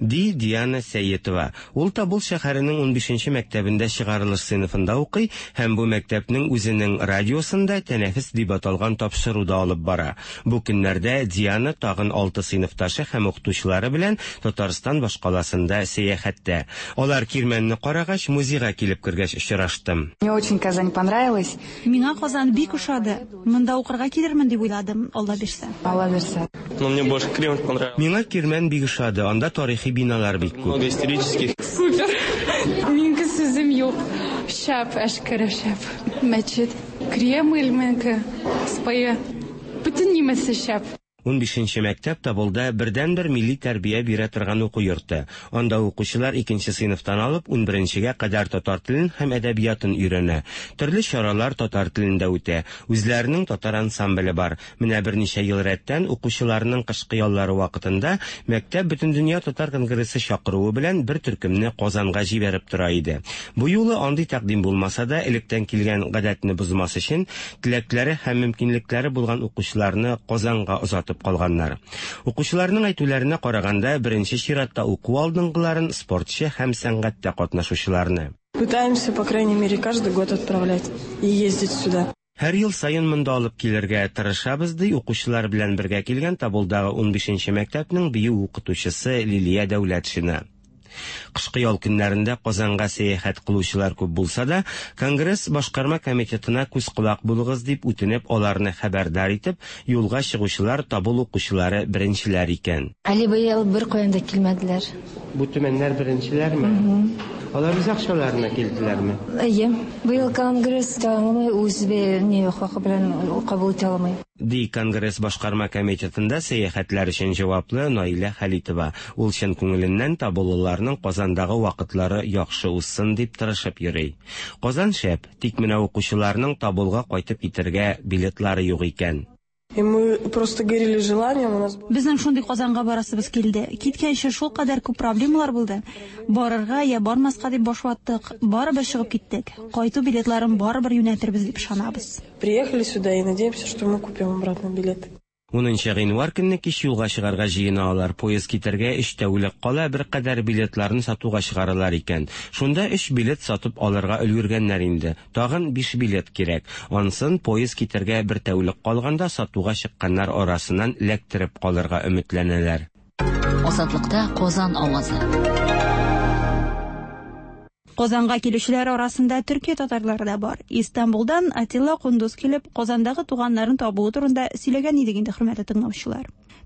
Ди Диана Сәетова. Ул Тобол шәһәренең унбишенче мәктәбендә чыгарылыш сыйныфында укый һәм бу мәктәпнең үзенең радиосында Тәнәфес дип аталган тапшыру да алып бара. Бу көннәрдә Диана тагын алты сыйныфташы һәм укытучылары белән Татарстан башкаласында сәяхәттә. Алар Кирмәнне карагач, музейга килеп кергәч очраштым. Мне очень Казань понравилась. Миңа Казан бик ошады. Монда укырга килермен дип уйладым, Алла бирсә. Алла бирсә. Но мне больше Кремль понравился. Миңа Кирмән бик ошады, анда тарихи биналар бик күп. Много исторических. Супер! Минеке сүзем юк. Шәп, әшкере шәп. Мәчет. Кремль минеке. Спае. Бөтен нимәсе шәп. Унбишенче мәктәп Тоболда бердәнбер милли тәрбия бирә торган уку йорты. Анда укучылар икенче сыйныфтан алып унберенчегә кадәр татар телен һәм әдәбиятын өйрәнә. Төрле чаралар татар телендә үтә. Үзләренең татар ансамбле бар. Менә берничә ел рәттән укучыларның кышкы яллары вакытында мәктәп Бөтендөнья татар конгрессы чакыруы белән бер төркемне Казанга җибәреп тора иде. Бу юлы андый тәкъдим булмаса да, электән килгән гадәтне бозмас өчен, теләкләре һәм мөмкинлекләре булган укучыларны Казанга озатып калганнар. Укучыларның әйтүләренә караганда, беренче чиратта уку алдынгыларын, спортчы һәм сәнгатьтә катнашучыларны. Пытаемся, по крайней мере, каждый год отправлять и ездить сюда. Һәр ел саен монда алып килергә тырышабыз, ди укучылар белән бергә килгән Тоболдагы унбишенче мәктәпнең бию укытучысы Лилия Дәүләтшина. Кышкы ял көннәрендә Казанга сәяхәт кылучылар күп булса да, Конгресс башкарма комитетына күз-колак булыгыз дип үтенеп, аларны хәбәрдар итеп, юлга чыгучылар Тобол укучылары беренчеләр икән. Әле быел беркаян да килмәделәр. Бу төмәннәр беренчеләрме? Алар үз акчаларына килделәрме? Әйе. Быел конгресс тәмамлый, үз не хакы белән кабул итә алмый. Ди Конгресс башкарма комитетында сәяхәтләр өчен җаваплы Наилә Хәлитова. Ул чын күңеленнән таболыларның Казандагы вакытлары яхшы узсын дип тырышып йөри. Казан шәп, тик менә укучыларның Таболга кайтып китергә билетлары юк икән. И мы просто горели желанием, у нас Безнең шундый Казанга барасыбыз килде. Киткәнче шулкадәр күп проблемалар булды. Барырга я бармаска дип баш ваттык, барыбер чыгып киттек. Кайту билетларын барыбер юнәтербез дип ышанабыз. Приехали сюда и надеемся, что мы купим обратно билеты. Унынчы гыйнвар көнне кич юлга чыгарга җыена алар. Поезд китәргә өч тәүлек кала беркадәр билетларны сатуга чыгаралар икән. Шунда өч билет сатып алырга өлгергәннәр инде. Тагын биш билет кирәк. Ансын поезд китәргә бер тәүлек калганда сатуга чыкканнар арасыннан эләктереп калырга өметләнәләр. Азатлыкта Казан авазы. Казанга килүчеләр арасында Төркия татарлары да бар. Истанбулдан Атилла Кундуз килеп, Казандагы туганнарын табуы турында сөйләгән идек инде, хөрмәтле тыңлаучылар.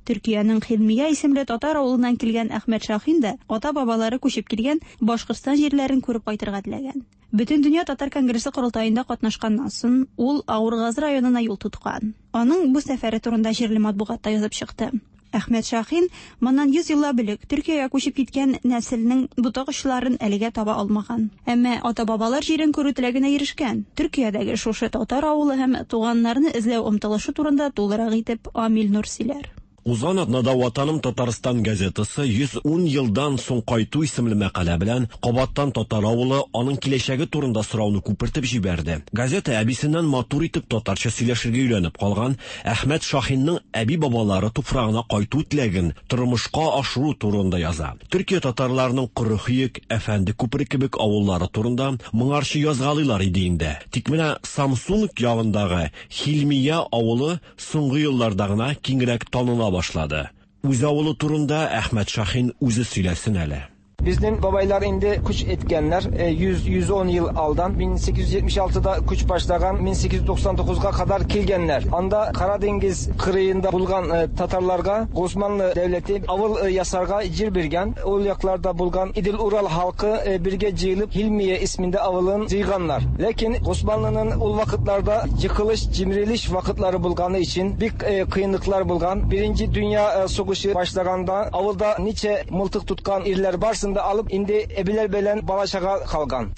Төркиянең Хилмия исемле татар авылыннан килгән Әхмәт Шахин да ата-бабалары күчеп килгән Башкортстан җирләрен күреп кайтырга теләгән. Бөтендөнья татар конгрессы корылтаенда катнашканнан соң, ул Авыргазы районына юл тоткан. Аның бу сәфәре турында җирле матбугатта язып чыкты. Әхмәт Шахин моннан 100 еллап элек Төркиягә күчеп киткән нәселнең ботак очларын әлегә таба алмаган. Әмма ата-бабалар җирен күрү теләгенә ирешкән. Төркиядәге шушы татар авылы һәм туганнарны эзләү омтылышы турында тулырак итеп Амил Нур сөйләр. Узган атнада Ватаным Татарстан газетасы 110 елдан соң кайту исемле мәкалә белән кабаттан татар авылы, аның киләчәге турында сорауны күпертеп җибәрде. Газета әбисеннән матур итеп татарча сөйләшергә өйрәнеп калган Әхмәт Шахинның әби-бабалары туфрагына кайту теләген тормышка ашыру турында яза. Төркия татарларының Коры Хөек, Әфәнде күпере кебек авыллары турында моңарчы язгалыйлар иде инде. Тик менә Самсунг ягындагы Хилмия авылы соңгы елларда гына киңрәк таныла башлады. Үз авылы турында Әхмәт Шахин үзе сөйләсен әле. Безнең бабайлар инде күч иткәннәр 100-110 ел алдан 1876-да күч башлаган 1899-га кадәр килгәннәр. Анда Кара диңгез кырыенда булган татарларга Госманлы дәүләте авыл ясарга җир биргән. Ул якларда булган Идел-Урал халкы бергә җыелып Хилмия исмендә авылын җыйганнар. Ләкин Госманлының ул вакытларда йыкылыш, җимерелеш вакытлары булганы өчен бик кыенлыклар булган. Беренче дөнья сугышы башлаганда авылда ничә мылтык тоткан ирләр барсын да алып, инде әбиләр белән бала-чага калган.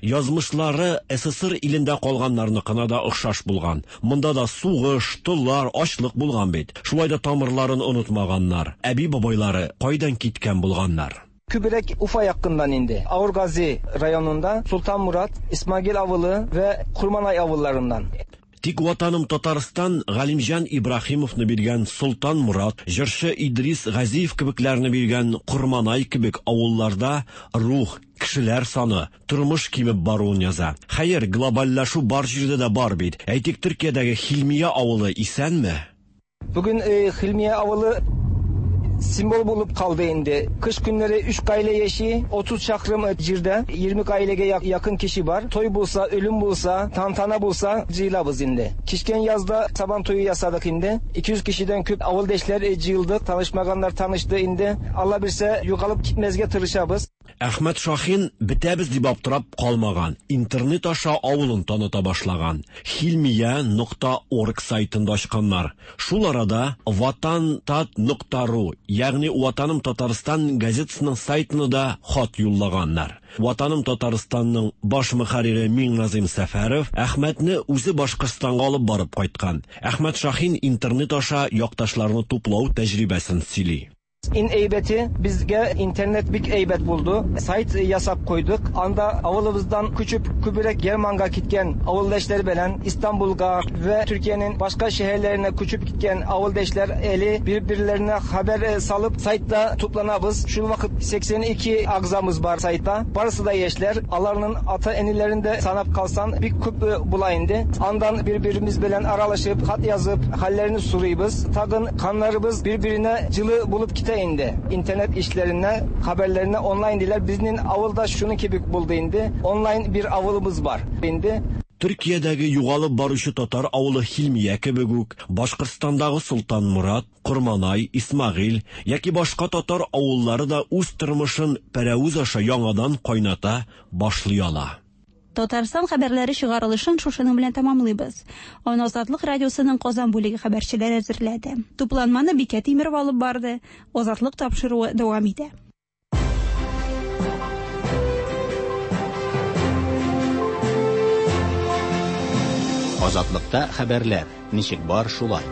Язмышлары СССР илендә калганнарныкына да охшаш булган. Монда да сугыш, толлар, ачлык булган бит. Шулай да тамырларын онытмаганнар. Әби-бабайлары кайдан киткән булганнар? Күбрәк Уфа якыннан инде. Авыргази районында Султан Мурат, Исмагил авылы вә Курманай авылларыннан. Тик Ватаным Татарстан Галимҗан Ибраһимовны биргән Солтан Морат, җырчы Идрис Газиев кебекләрне биргән Корманай кебек авылларда рух, кешеләр саны, тормыш кимеп баруын яза. Хәер, глобальләшү бар җирдә дә бар бит. Әйтик, Төркиядәге Хилмия авылы исәнме? Бүген Хилмия авылы символ булып калды инде. Кыш көннәре 3 гаилә яши, 30 чакрым җирдә 20 гаиләгә якын кеше бар. Той булса, үлем булса, тантана булса, җыелабыз инде. Кичкән язда сабан туе ясадык инде. 200 кешедән күп авылдашлар җыелдык, танышмаганнар танышты инде. Алла бирсә, югалып китмәскә тырышабыз. Әхмәт Шахин бетәбез дип аптырап калмаган, интернет аша авылын таныта башлаган. Хилмия нокта орг сайтын да ачканнар. Шул арада Ватан-тат нокта ру, ягъни Ватаным Татарстан газетасының сайтына да хат юллаганнар. Ватаным Татарстанның баш мөхәррире Миңназыйм Сәфәров Әхмәтне үзе Башкортстанга алып барып кайткан. Әхмәт Шахин интернет аша якташларны туплау тәҗрибәсен сөйли. Иң әйбәте, безгә интернет бик әйбәт булды. Сайт ясап куйдык. Анда авылыбыздан күчеп күбрәк Германга киткән авылдашлар белән Истанбулга вә Төркиянең башка шәһәрләренә күчеп киткән авылдашлар әле бер-берләренә хәбәр салып сайтта тупланабыз. Шул вакыт 82 агзамыз бар сайтта. Барысы да яшьләр. Аларның ата-әниләрен дә санап калсаң, бик күп була инде. Андан бер-беребез белән аралашып, хат язып, хәлләрен сорыйбыз. Тагын каннарыбыз бер-беренә җылы булып китә инде. Интернет эшләренә, хәбәрләренә онлайн диләр. Безнең авылда шуның кебек булды инде. Онлайн бер авылыбыз бар инде. Төркиядәге югалып баручы татар авылы Хилмия кебек үк, Башкортстандагы Солтанморат, Корманай, Исмәгыйль яки башка татар авыллары да үз тормышын пәрәвез аша яңадан кайната башлый ала. Татарстан хәбәрләре чыгарылышын шушының белән тәмамлыйбыз. Аны Азатлык радиосының Казан бүлеге хәбәрчеләре әзерләде. Тупланманы Бикә Тимерова алып барды. Азатлык тапшыруы дәвам итә. Азатлыкта хәбәрләр ничек бар шулай.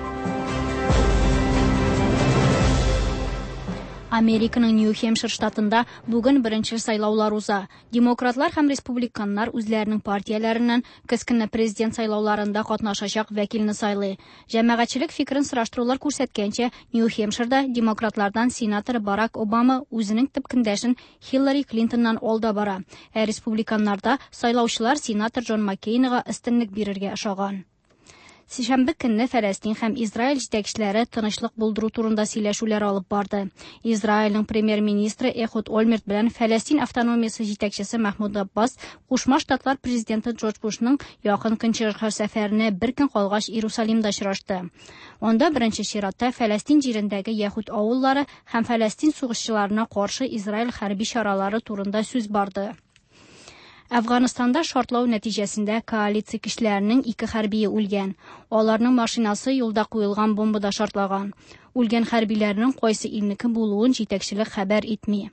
Американың Нью-Хемпшир штатында бүген беренче сайлаулар уза. Демократлар һәм республиканнар үзләренең партияләреннән көз көне президент сайлауларында катнашачак вәкилне сайлый. Җәмәгатьчелек фикерен сораштырулар күрсәткәнчә, Нью-Хемпширда демократлардан сенатор Барак Обама үзенең төп көндәшен Хиллари Клинтоннан алда бара. Ә республиканнарда сайлаучылар сенатор Джон Маккейнга өстенлек бирергә ошаган. Сишәмбе көнне Фәләстин һәм Израиль җитәкчеләре тынычлык булдыру турында сөйләшүләр алып барды. Израильнең премьер-министры Эхуд Ольмерт белән Фәләстин автономиясе җитәкчесе Махмуд Аббас Кушма Штатлар президенты Джордж Бушның якын көнчыгышка сәфәренә бер көн калгач Иерусалимда очрашты. Анда беренче чиратта Фәләстин җирендәге яһүд авыллары һәм Фәләстин сугышчыларына каршы Израиль хәрби чаралары турында сүз барды. Әфганстанда шартлау нәтиҗәсендә коалиция көчләренең ике хәрбие үлгән. Аларның машинасы юлда куелган бомбада шартлаган. Үлгән хәрбиләрнең кайсы илнеке булуын җитәкчелек хәбәр итми.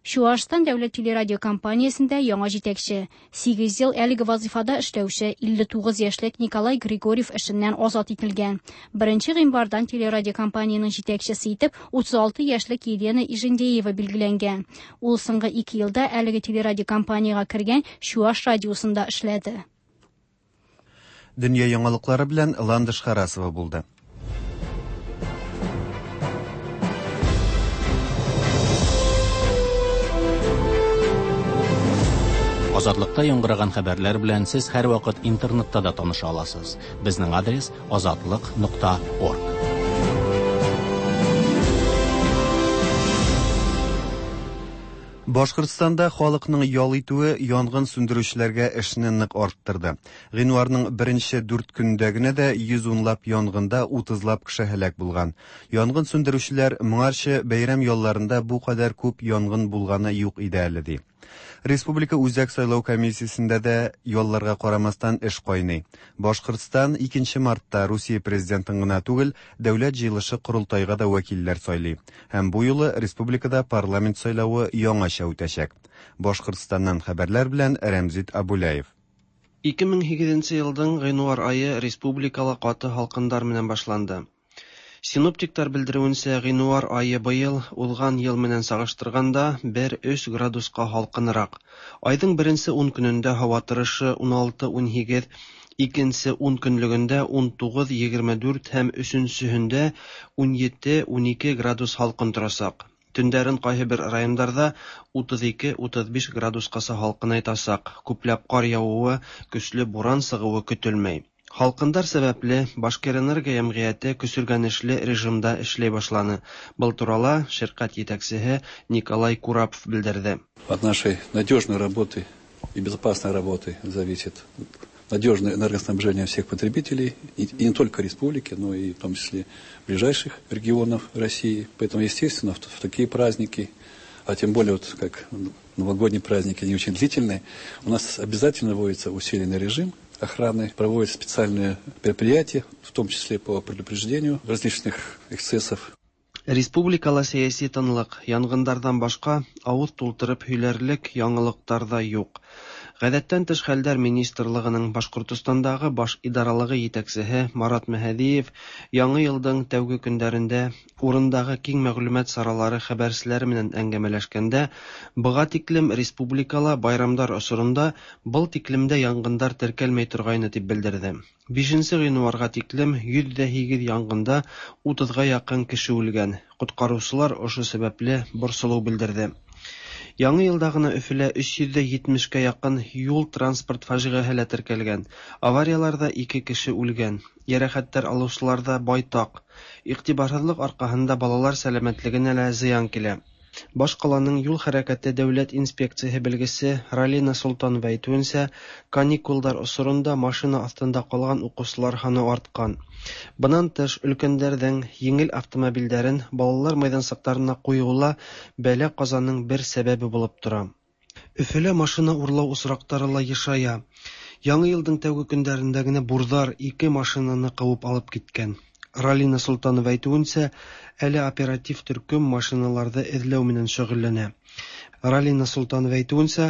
Чуашстан дәүләт телерадиокомпаниясендә яңа җитәкче. 8 ел әлеге вазифада эшләүче 59 яшьлек Николай Григорьев эшеннән азат ителгән. 1 гыйнвардан телерадиокомпаниянең җитәкчесе итеп 36 яшьлек Елена Ижендеева билгеләнгән. Ул соңгы 2 елда әлеге телерадиокомпаниягә кергән Чуаш радиосында эшләде. Дөнья яңалыклары белән Ландыш Харасова булды. Азатлыкта яңгыраган хәбәрләр белән сез һәрвакыт интернетта да таныша аласыз. Безнең адрес азатлык.орг. Башкортстанда халыкның ял итүе янгын сүндерүчеләргә эшне нык арттырды. Гыйнварның беренче дүрт көнендә генә дә 110 лап янгында утызлап кеше һәлак булган. Янгын сүндерүчеләр моңарчы бәйрәм ялларында бу кадәр күп янгын булганы юк иде әле, ди. Республика Үзәк сайлау комиссиясендә дә ялларга карамастан эш кайный. Башкортстан 2 мартта Русия президентын гына түгел, Дәүләт җыелышы-Корылтайга да вәкилләр сайлый. Һәм бу юлы республикада парламент сайлавы яңача үтәчәк. Башкортстаннан хәбәрләр белән Рәмзит Абуляев. 2008 нче елдың гыйнвар ае республикала каты һалкындар менән башланды. Синоптиктар белдерүенчә, гыйнвар ае быел, узган ел менән чагыштырганда, бер өч градуска һалкынрак. Айдың беренче ун көнендә һава торышы 16-18, икенче ун көнлегендә 19-24 һәм өченчеһендә 17-12 градус һалкын торачак. Төндәрен кайһыбер райондарда 32-35 градускаса һалкынайтачак, күпләп кар явуы, көчле буран чыгуы көтелмәй. Һалкындар сәбәпле, Башкирэнерго йәмгыяте көсөргәнешле режимда эшләй башланы. Был турала ширкать җитәкчеһе Николай Курапов белдерде. От нашей надежной работы и безопасной работы зависит надежное энергоснабжение всех потребителей, и не только республики, но и в том числе ближайших регионов России. Поэтому, естественно, в такие праздники, а тем более вот как новогодние праздники, они очень длительные, у нас обязательно вводится усиленный режим охраны, проводятся специальные мероприятия, в том числе по предупреждению различных эксцессов. Республикала сәяси тынлык, янгындардан башка авыз тултырып һөйләрлек яңалыктар да юк. Гадәттән тыш хәлдәр министрлыгының Башкортостандагы баш идаралыгы җитәкчеһе Марат Мәһәдиев Яңа елдың тәүге көндәрендә урындагы киң мәгълүмат чаралары хәбәрчеләре менән әңгәмәләшкәндә, быга тиклем республикала байрамдар осорында был тиклемдә янгындар теркәлмәй торгайны дип белдерде. Бишенче гыйнварга тиклем 108 янгында утызга якын кеше үлгән. Коткаручылар ошо сәбәпле борчылу белдерде. Яңа елда гына Өфелә 370 кә якын юл-транспорт фаҗигаһе лә теркәлгән. Аварияләрдә ике кеше үлгән. Йәрәхәтләр алучылар да байтак. Игътибарсызлык аркаһында балалар сәламәтлегенә лә зыян килә. Башкаланың юл хәрәкәте дәүләт инспекцияһе белгесе Ралина Солтанова әйтүенчә, каникулдар осорында машина астында калган укучылар һаны арткан. Бынан тыш, өлкәннәрнең җиңел автомобильдәрен балалар мәйданчыкларына куюы ла бәла-казаның бер сәбәбе булып тора. Өфелә машина урлау очраклары ла ешая. Яңа елдың тәүге көндәрендә генә бурдар ике машинаны куып алып киткән. Ралина Солтанова әйтүенчә, әле оператив төркем машиналарны эзләү менән шөгыльләнә. Ралина Солтанова әйтүенчә,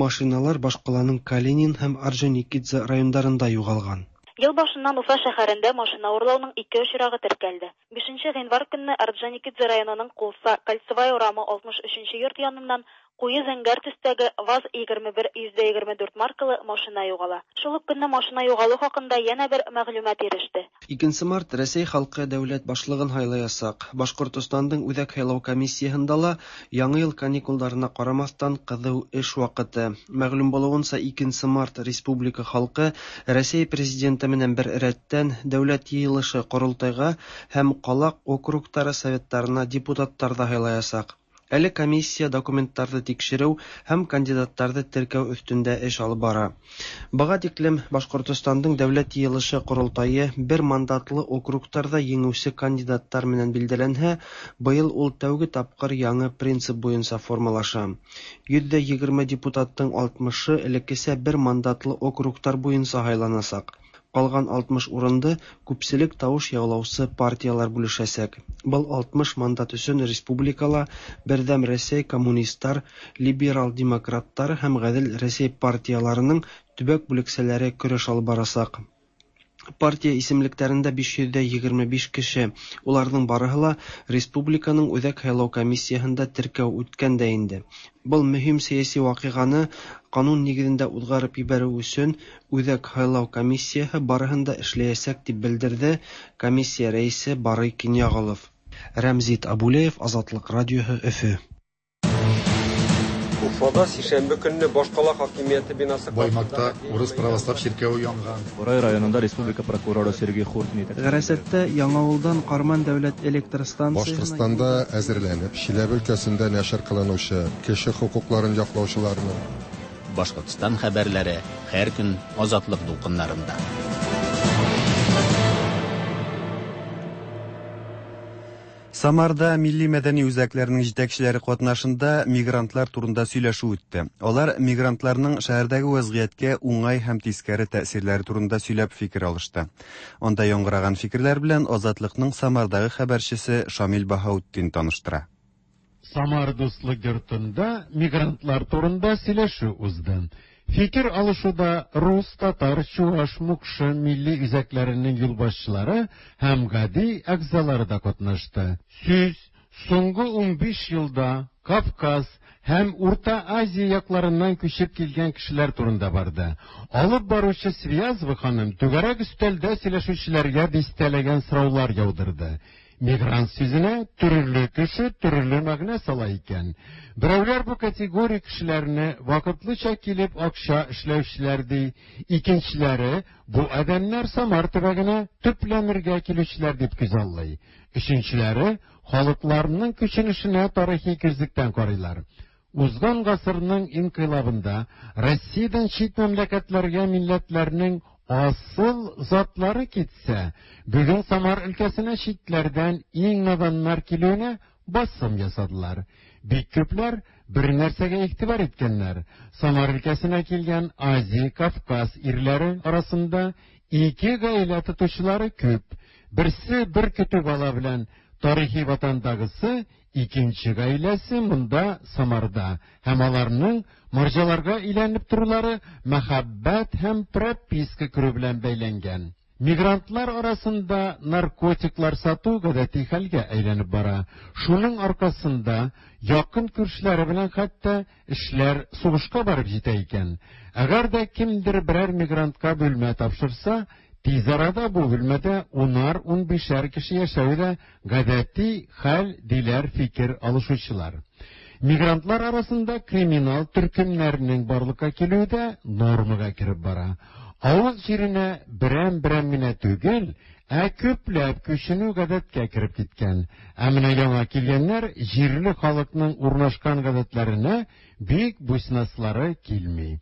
машиналар башкаланың Калинин һәм Орджоникидзе райондарында югалган. Ел башыннан Уфа шәһәрендә машина урлауның ике очрагы теркәлде. Бишенче гыйнвар көнне Орджоникидзе районының Кулса, Кольцевая урамы 63 нче йорт яныннан Куе зәңгәр төстәге ВАЗ 21124 маркалы машина югала. Шул ук көнне машина югалу хакында янә бер мәгълүмат иреште. Икенче март Рәсәй халкы дәүләт башлыгын һайлаясак. Башкортостандың Үзәк һайлау комиссияһында ла Яңа ел каникулдарына карамастан кызу эш вакыты. Мәгълүм булуынча, икенче март республика халкы Рәсәй Президенты менән бер рәттән Дәүләт Йыелышы-Корылтайга һәм кала округтары советларына депутатлар да һайлаясак. Әле комиссия документларны тикшерү һәм кандидатларны теркәү өстендә эш алып бара. Быга тиклем Башкортостандың Дәүләт Йыелышы-Корылтае бер мандатлы округтарда җиңүче кандидатлар менән билдәләнһә, быел ул тәүге тапкыр яңа принцип буенча формалаша. 120 депутатның алтмышы элеккечә бер мандатлы округтар буенча һайланачак. Калган 60 урынды күпчелек тавыш яулаучы партияләр бүлешәчәк. Был 60 мандат өчен республикала Бердәм Рәсәй, коммунистлар, либерал демократлар һәм Гадел Рәсәй партияләренең төбәк бүлекчәләре көрәш алып барачак. Партия исемлекләрендә 525 кеше, уларның барыһы ла республиканың Үзәк һайлау комиссияһендә теркәү үткән дә инде. Был мөһим сәяси вакыйганы канун нигезендә узгарып ебәрү өчен Үзәк һайлау комиссияһе барыһын да эшләячәк, дип белдерде комиссия рәисе Барый Киньяголов. Рәмзит Абулеев, Азатлык радиоһы, Өфе. Уфада сишәмбе көнне башкала хакимияте бинасы Баймакта урыс православ чиркәве янган. Борай районында республика прокуроры Сергей Хуртин Гарасаттә Яңавылдан Карман дәүләт электр станциясенә Башкортстанда әзерләнеп, Чиләбе өлкәсендә нәшер кылынучы кеше хокукларын яклаучыларның Башкортстан хәбәрләре һәр көн Азатлык дулкыннарында. Самарда милли мәдәни үзәкләрнең җитәкчеләре катнашында мигрантлар турында сөйләшү үтте. Алар мигрантларның шәһәрдәге вәзгыятькә уңай һәм тискәре тәэсирләре турында сөйләп фикер алышты. Анда яңгыраган фикерләр белән Азатлыкның Самардагы хәбәрчесе Шамил Баһаутдин таныштыра. Самар дуслык йортында мигрантлар турында сөйләшү узды. Фикер алышуда рус, татар, чуаш, мукшы милли үзәкләренең юлбашчылары һәм гади әгъзалары да катнашты. Сүз соңгы 15 елда Кавказ һәм Урта Азия якларыннан күчеп килгән кешеләр турында барды. Алып баручы Связова ханым түгәрәк өстәлдә сөйләшүчеләргә дистәләгән сораулар яудырды. Мигрант сүзенә төрле кеше төрле мәгънә сала икән. Берәүләр бу категория кешеләрне вакытлыча килеп акча эшләүчеләр ди, икенчеләре бу адәмнәр Самар төбәгенә төпләнергә килүчеләр дип күзаллый. Өченчеләре халыкларның күченешенә тарихи күзлектән карыйлар. Узган гасырның инкыйлабында Россиядән чит мәмләкәтләргә милләтләрнең асыл затлары китсә, бүген Самар өлкәсенә читләрдән иң наданнар килүенә басым ясадылар. Бик күпләр бер нәрсәгә игътибар иткәннәр. Самар өлкәсенә килгән Азия, Кавказ ирләре арасында ике гаилә тотучылары күп. Берсе бер көтү бала белән тарихи ватандагысы, икенче гаиләсе монда Самарда һәм аларның марҗаларга өйләнеп торулары мәхәббәт һәм прописка керү белән бәйләнгән. Мигрантлар арасында наркотиклар сату гадәти хәлгә әйләнеп бара. Шуның аркасында якын күршеләре белән хәтта эшләр сугышка барып җитә икән. Әгәр дә кемдер берәр мигрантка бүлмә тапшырса, тиз арада бу бүлмәдә унар-унбишәр кеше яшәве дә гадәти хәл, диләр фикер алышучылар. Мигрантлар арасында криминал төркемнәрнең барлыкка килүе дә нормага кереп бара. Авыл җиренә берәм-берәм генә түгел, ә күпләп күченү гадәткә кереп киткән. Ә менә яңа килгәннәр җирле халыкның урнашкан гадәтләренә бик буйсынаслары килми.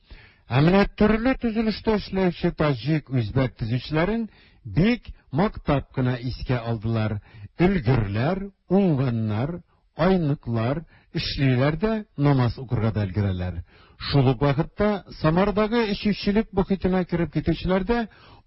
Ә менә төрле төзелештә эшләүче таҗик, үзбәк төзүчеләрен бик мактап кына искә алдылар. Өлгерләр, уңганнар, айныклар, эшлиләр дә намаз укырга да өлгерәләр. Шул ук вакытта Самардагы эчүчелек мохитенә кереп китүчеләр дә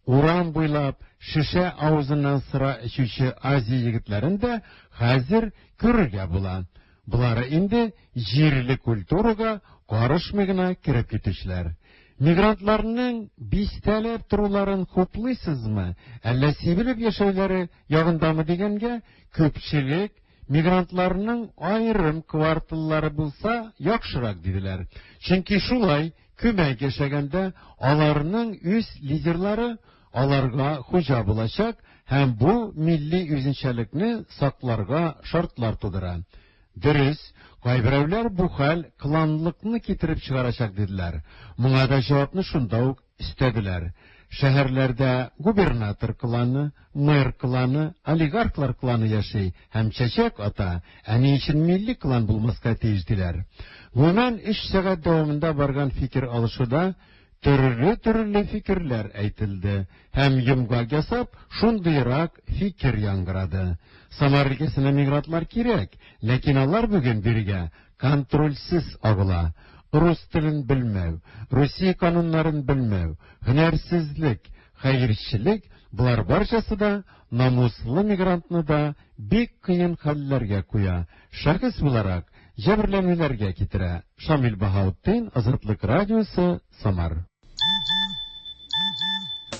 урам буйлап шешә авызыннан сыра эчүче Азия егетләрен дә хәзер күрергә була. Болары инде җирле культурага карышмый гына кереп китүчеләр. Мигрантларның бистәләп торуларын хуплыйсызмы, әллә сибелеп яшәүләре ягындамы дигәнгә, күпчелек мигрантларның аерым кварталлары булса яхшырак диделәр. Чөнки шулай күмәк яшәгәндә аларның үз лидерлары аларга хуҗа булачак һәм бу милли үзенчәлекне сакларга шартлар тудыра. Дөрес, кайберәүләр бу хәл кланлыкны китереп чыгарачак диделәр. Моңа да җавапны шунда ук өстәделәр. Шәһәрләрдә губернатор кланы, мэр кланы, олигархлар кланы яши һәм чәчәк ата, ә ни өчен милли клан булмаска тиеш диләр. Гомумән, 3 сәгать дәвамында барган фикер алышуда төрле-төрле фикерләр әйтелде һәм йомгак ясап, шундыйрак фикер яңгырады. Самар өлкәсенә мигрантлар кирәк, ләкин алар бүген бирегә контрольсез агыла. Рус телен белмәү, Русия кануннарын белмәү, һөнәрсезлек, хәерчелек болар барчасы да намуслы мигрантны да бик кыен хәлләргә куя. Шәхес буларак җәберләнүләргә китерә. Шамил Баһаутдин, Азатлык радиосы, Самар.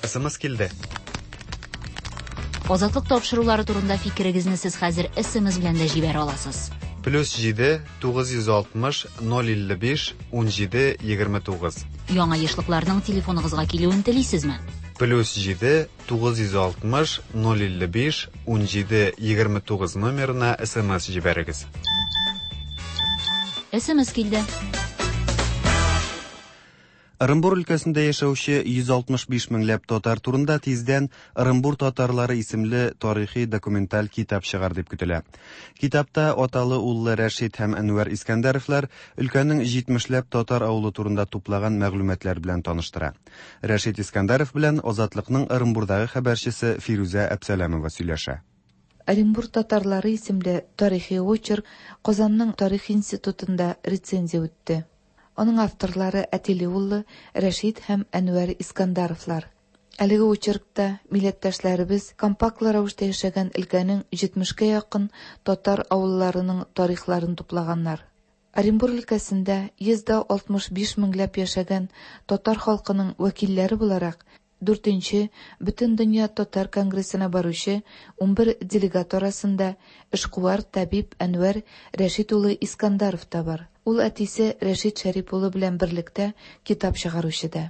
СМС килде. Азатлык тапшырулары турында фикерегезне сез хәзер SMS белән дә җибәрә аласыз. Плюс 7 960 055 17 29. Яңа ешлыкларның телефоныгызга килүен телисезме? Плюс 7 960 055 17 29 номерына СМС җибәрегез. SMS килде. Ырынбур өлкәсендә яшәүче 165 меңләп татар турында тиздән Ырынбур татарлары исемле тарихи документаль китап чыгар дип көтелә. Китапта аталы-уллы Рәшит һәм Әнвәр Искәндәровлар өлкәнең җитмешләп татар авылы турында туплаган мәгълүматлар белән таныштыра. Рәшит Искәндәров белән Азатлыкның Ырынбурдагы хәбәрчесе Фирүзә Әпсәләмова сөйләшә. Оренбур татарлары исемле тарихи очерк Казанның тарих институтында рецензия үтте. Аның авторлары әтиле-уллы Рәшит һәм Әнвәр Искандаровлар. Әлеге очеркта милләттәшләребез компактлы рәвештә яшәгән өлкәнең җитмешкә якын татар авылларының тарихларын туплаганнар. Оренбур өлкәсендә 165 меңләп яшәгән татар халкының вәкилләре буларак, Дүртенче Бөтендөнья татар конгрессына баручы 11 делегат арасында эшкуар, табиб Әнвәр Рәшит улы Искандаров та бар. Ул әтисе Рәшит Шәрип улы белән берлектә китап чыгаручы да.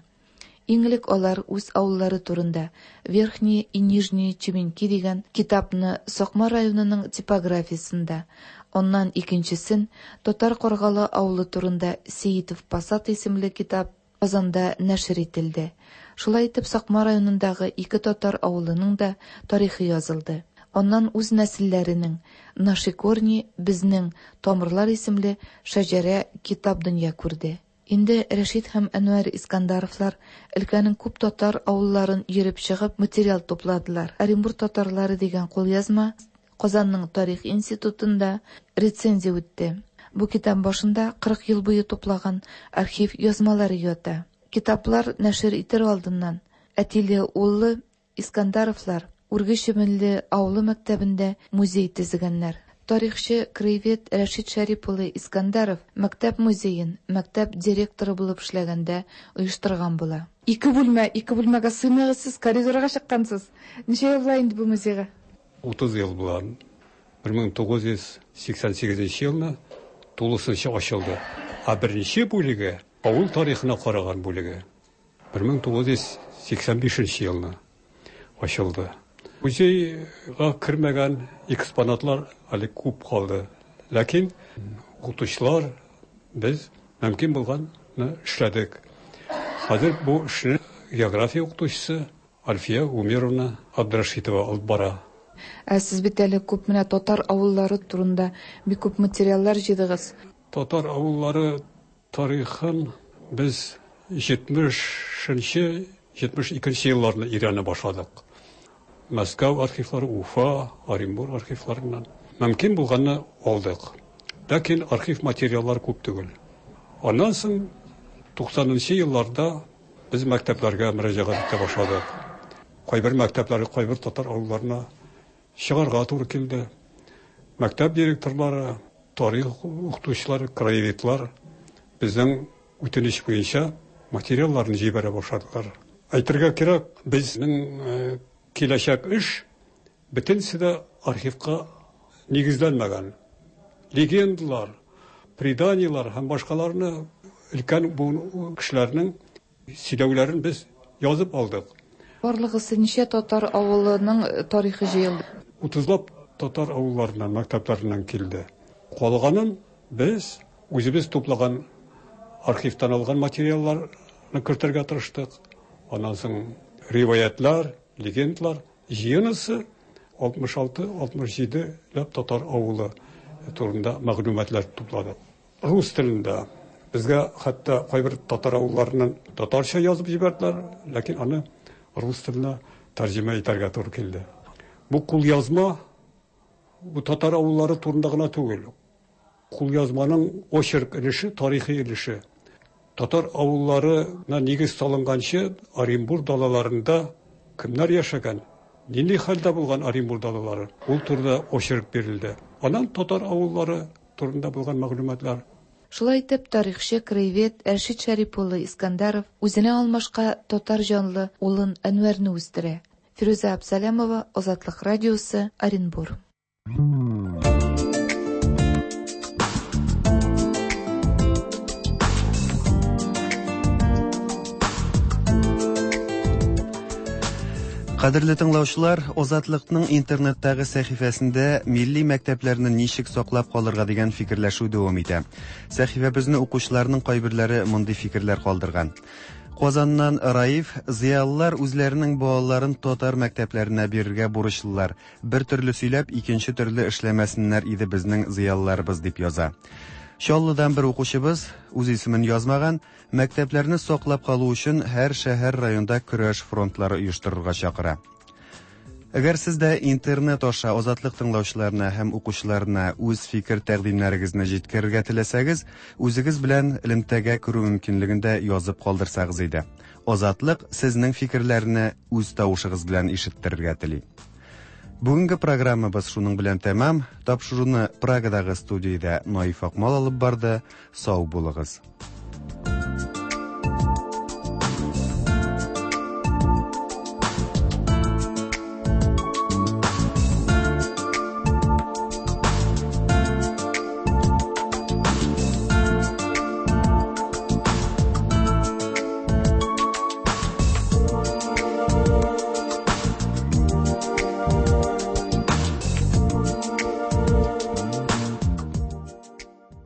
Иң элек алар үз авыллары турында Верхние и Нижние Чеменки дигән китапны Сакмар районының типографиясендә, аннан икенчесен, Татар Каргалы авылы турында Сеитов Посад исемле китап Казанда нәшер ителде. Шулай итеп Сакмар районындагы ике татар авылының да тарихы язылды. Аннан үз нәселләренең Наши корни, Безнең тамырлар исемле шәҗәрә китап дөнья күрде. Инде Рәшит һәм Әнвәр Искандаровлар өлкәнең күп татар авылларын йөреп чыгып материал тупладылар. Оренбур татарлары дигән кулъязма Казанның тарих институтында рецензия үтте. Бу китап башында 40 ел буе туплаган архив язмалары ята. Китаплар нәшер итер алдыннан әтиле-уллы Искандаровлар Үрге Чебенле авылы мәктәбендә музей төзегәннәр. Тарихчы, краевед Рәшит Шәрип улы Искандаров мәктәп музеен мәктәп директоры булып эшләгәндә оештырган була. Ике бүлмә, ике бүлмәгә сыймыйгыз сез, коридорга чыккансыз. Ничә ел була инде бу музейга? 30 ел була. 1988 елны тулысынча ачылды. Ә беренче бүлеге, авыл тарихына караган бүлеге, 1985 елны ачылды. Музейга кермәгән экспонатлар әле күп калды. Ләкин укытучылар без мөмкин булганны эшләдек. Хәзер бу эшне география укытучысы Альфия Гумеровна Абдрашитова алып бара. Ә сез бит әле күп менә татар авыллары турында бик күп материаллар җыйдыгыз. Татар авыллары тарихын без 70 нче, 72 нче елларны өйрәнә башладык. Мәскәү архивлары, Уфа, Оренбур архивларыннан мөмкин булганны алдык. Ләкин архив материаллар күп түгел. Аннан соң 90 нчы елларда Без мәктәпләргә мөрәҗәгать итә башладык. Кайбер мәктәпләргә, кайбер татар авылларына чыгарга туры килде. Мәктәп директорлары, тарих укытучылары, краеведлар безнең үтенеч буенча материалларны җибәрә башладылар. Әйтергә кирәк, безнең э, киләчәк эш бөтенесе дә архивка нигезләнмәгән. Легендалар, преданиелар һәм башкаларны өлкән буын кешеләрнең сөйләүләрен без язып алдык. Барлыгысы ничә татар авылының тарихы җыелды? Утызлап татар авылларыннан, мәктәпләреннән килде. Калганын без үзебез туплаган архивтан алган материалларны кертергә тырыштык. Аннан соң риваятьләр, легендалар җыенысы 66-67 ләп татар авылы турында мәгълүматлар тупладык. Рус телендә безгә хәтта кайбер татар авылларыннан татарча язып җибәрделәр, ләкин аны рус теленә тәрҗемә итәргә туры килде. Бу кулъязма бу татар авыллары турында гына түгел. Кулъязманың очерк өлеше, тарихи өлеше. Татар авылларына нигез салынганчы Оренбур далаларында кемнәр яшәгән, нинди хәлдә булган Оренбур далалары, ул турыда очерк бирелде. Аннан татар авыллары турында булган мәгълүматлар. Шулай итеп, тарихчы, краевед Рәшит Шәрип улы Искәндәров үзенә алмашка татар җанлы улын Әнвәрне үстерә. Фирүзә Абсалямова, Азатлык радиосы, Оренбур. Кадерле тыңлаучылар, Азатлыкның интернеттагы сәхифәсендә милли мәктәпләрне ничек саклап калырга дигән фикерләшү дәвам итә. Сәхифәбезне укучыларның кайберләре мондый фикерләр калдырган. Казаннан Раиф, зыялылар үзләренең балаларын татар мәктәпләренә бирергә бурычлылар. Бер төрле сөйләп, икенче төрле эшләмәсеннәр иде безнең зыялыларыбыз, дип яза. Чаллыдан бер укучыбыз, үз исемен язмаган, мәктәпләрне саклап калу өчен һәр шәһәр-районда көрәш фронтлары оештырырга чакыра. Әгәр сез дә интернет аша Азатлык тыңлаучыларына һәм укучыларына үз фикер-тәкъдимнәрегезне җиткерергә теләсәгез, үзегез белән элемтәгә керү мөмкинлеген дә язып калдырсагыз иде. Азатлык сезнең фикерләрне үз тавышыгыз белән ишеттерергә тели. Бүгенге программабыз шуның белән тәмам. Тапшыруны Прагадагы студиядә Наиф Акмал алып барды. Сау булыгыз.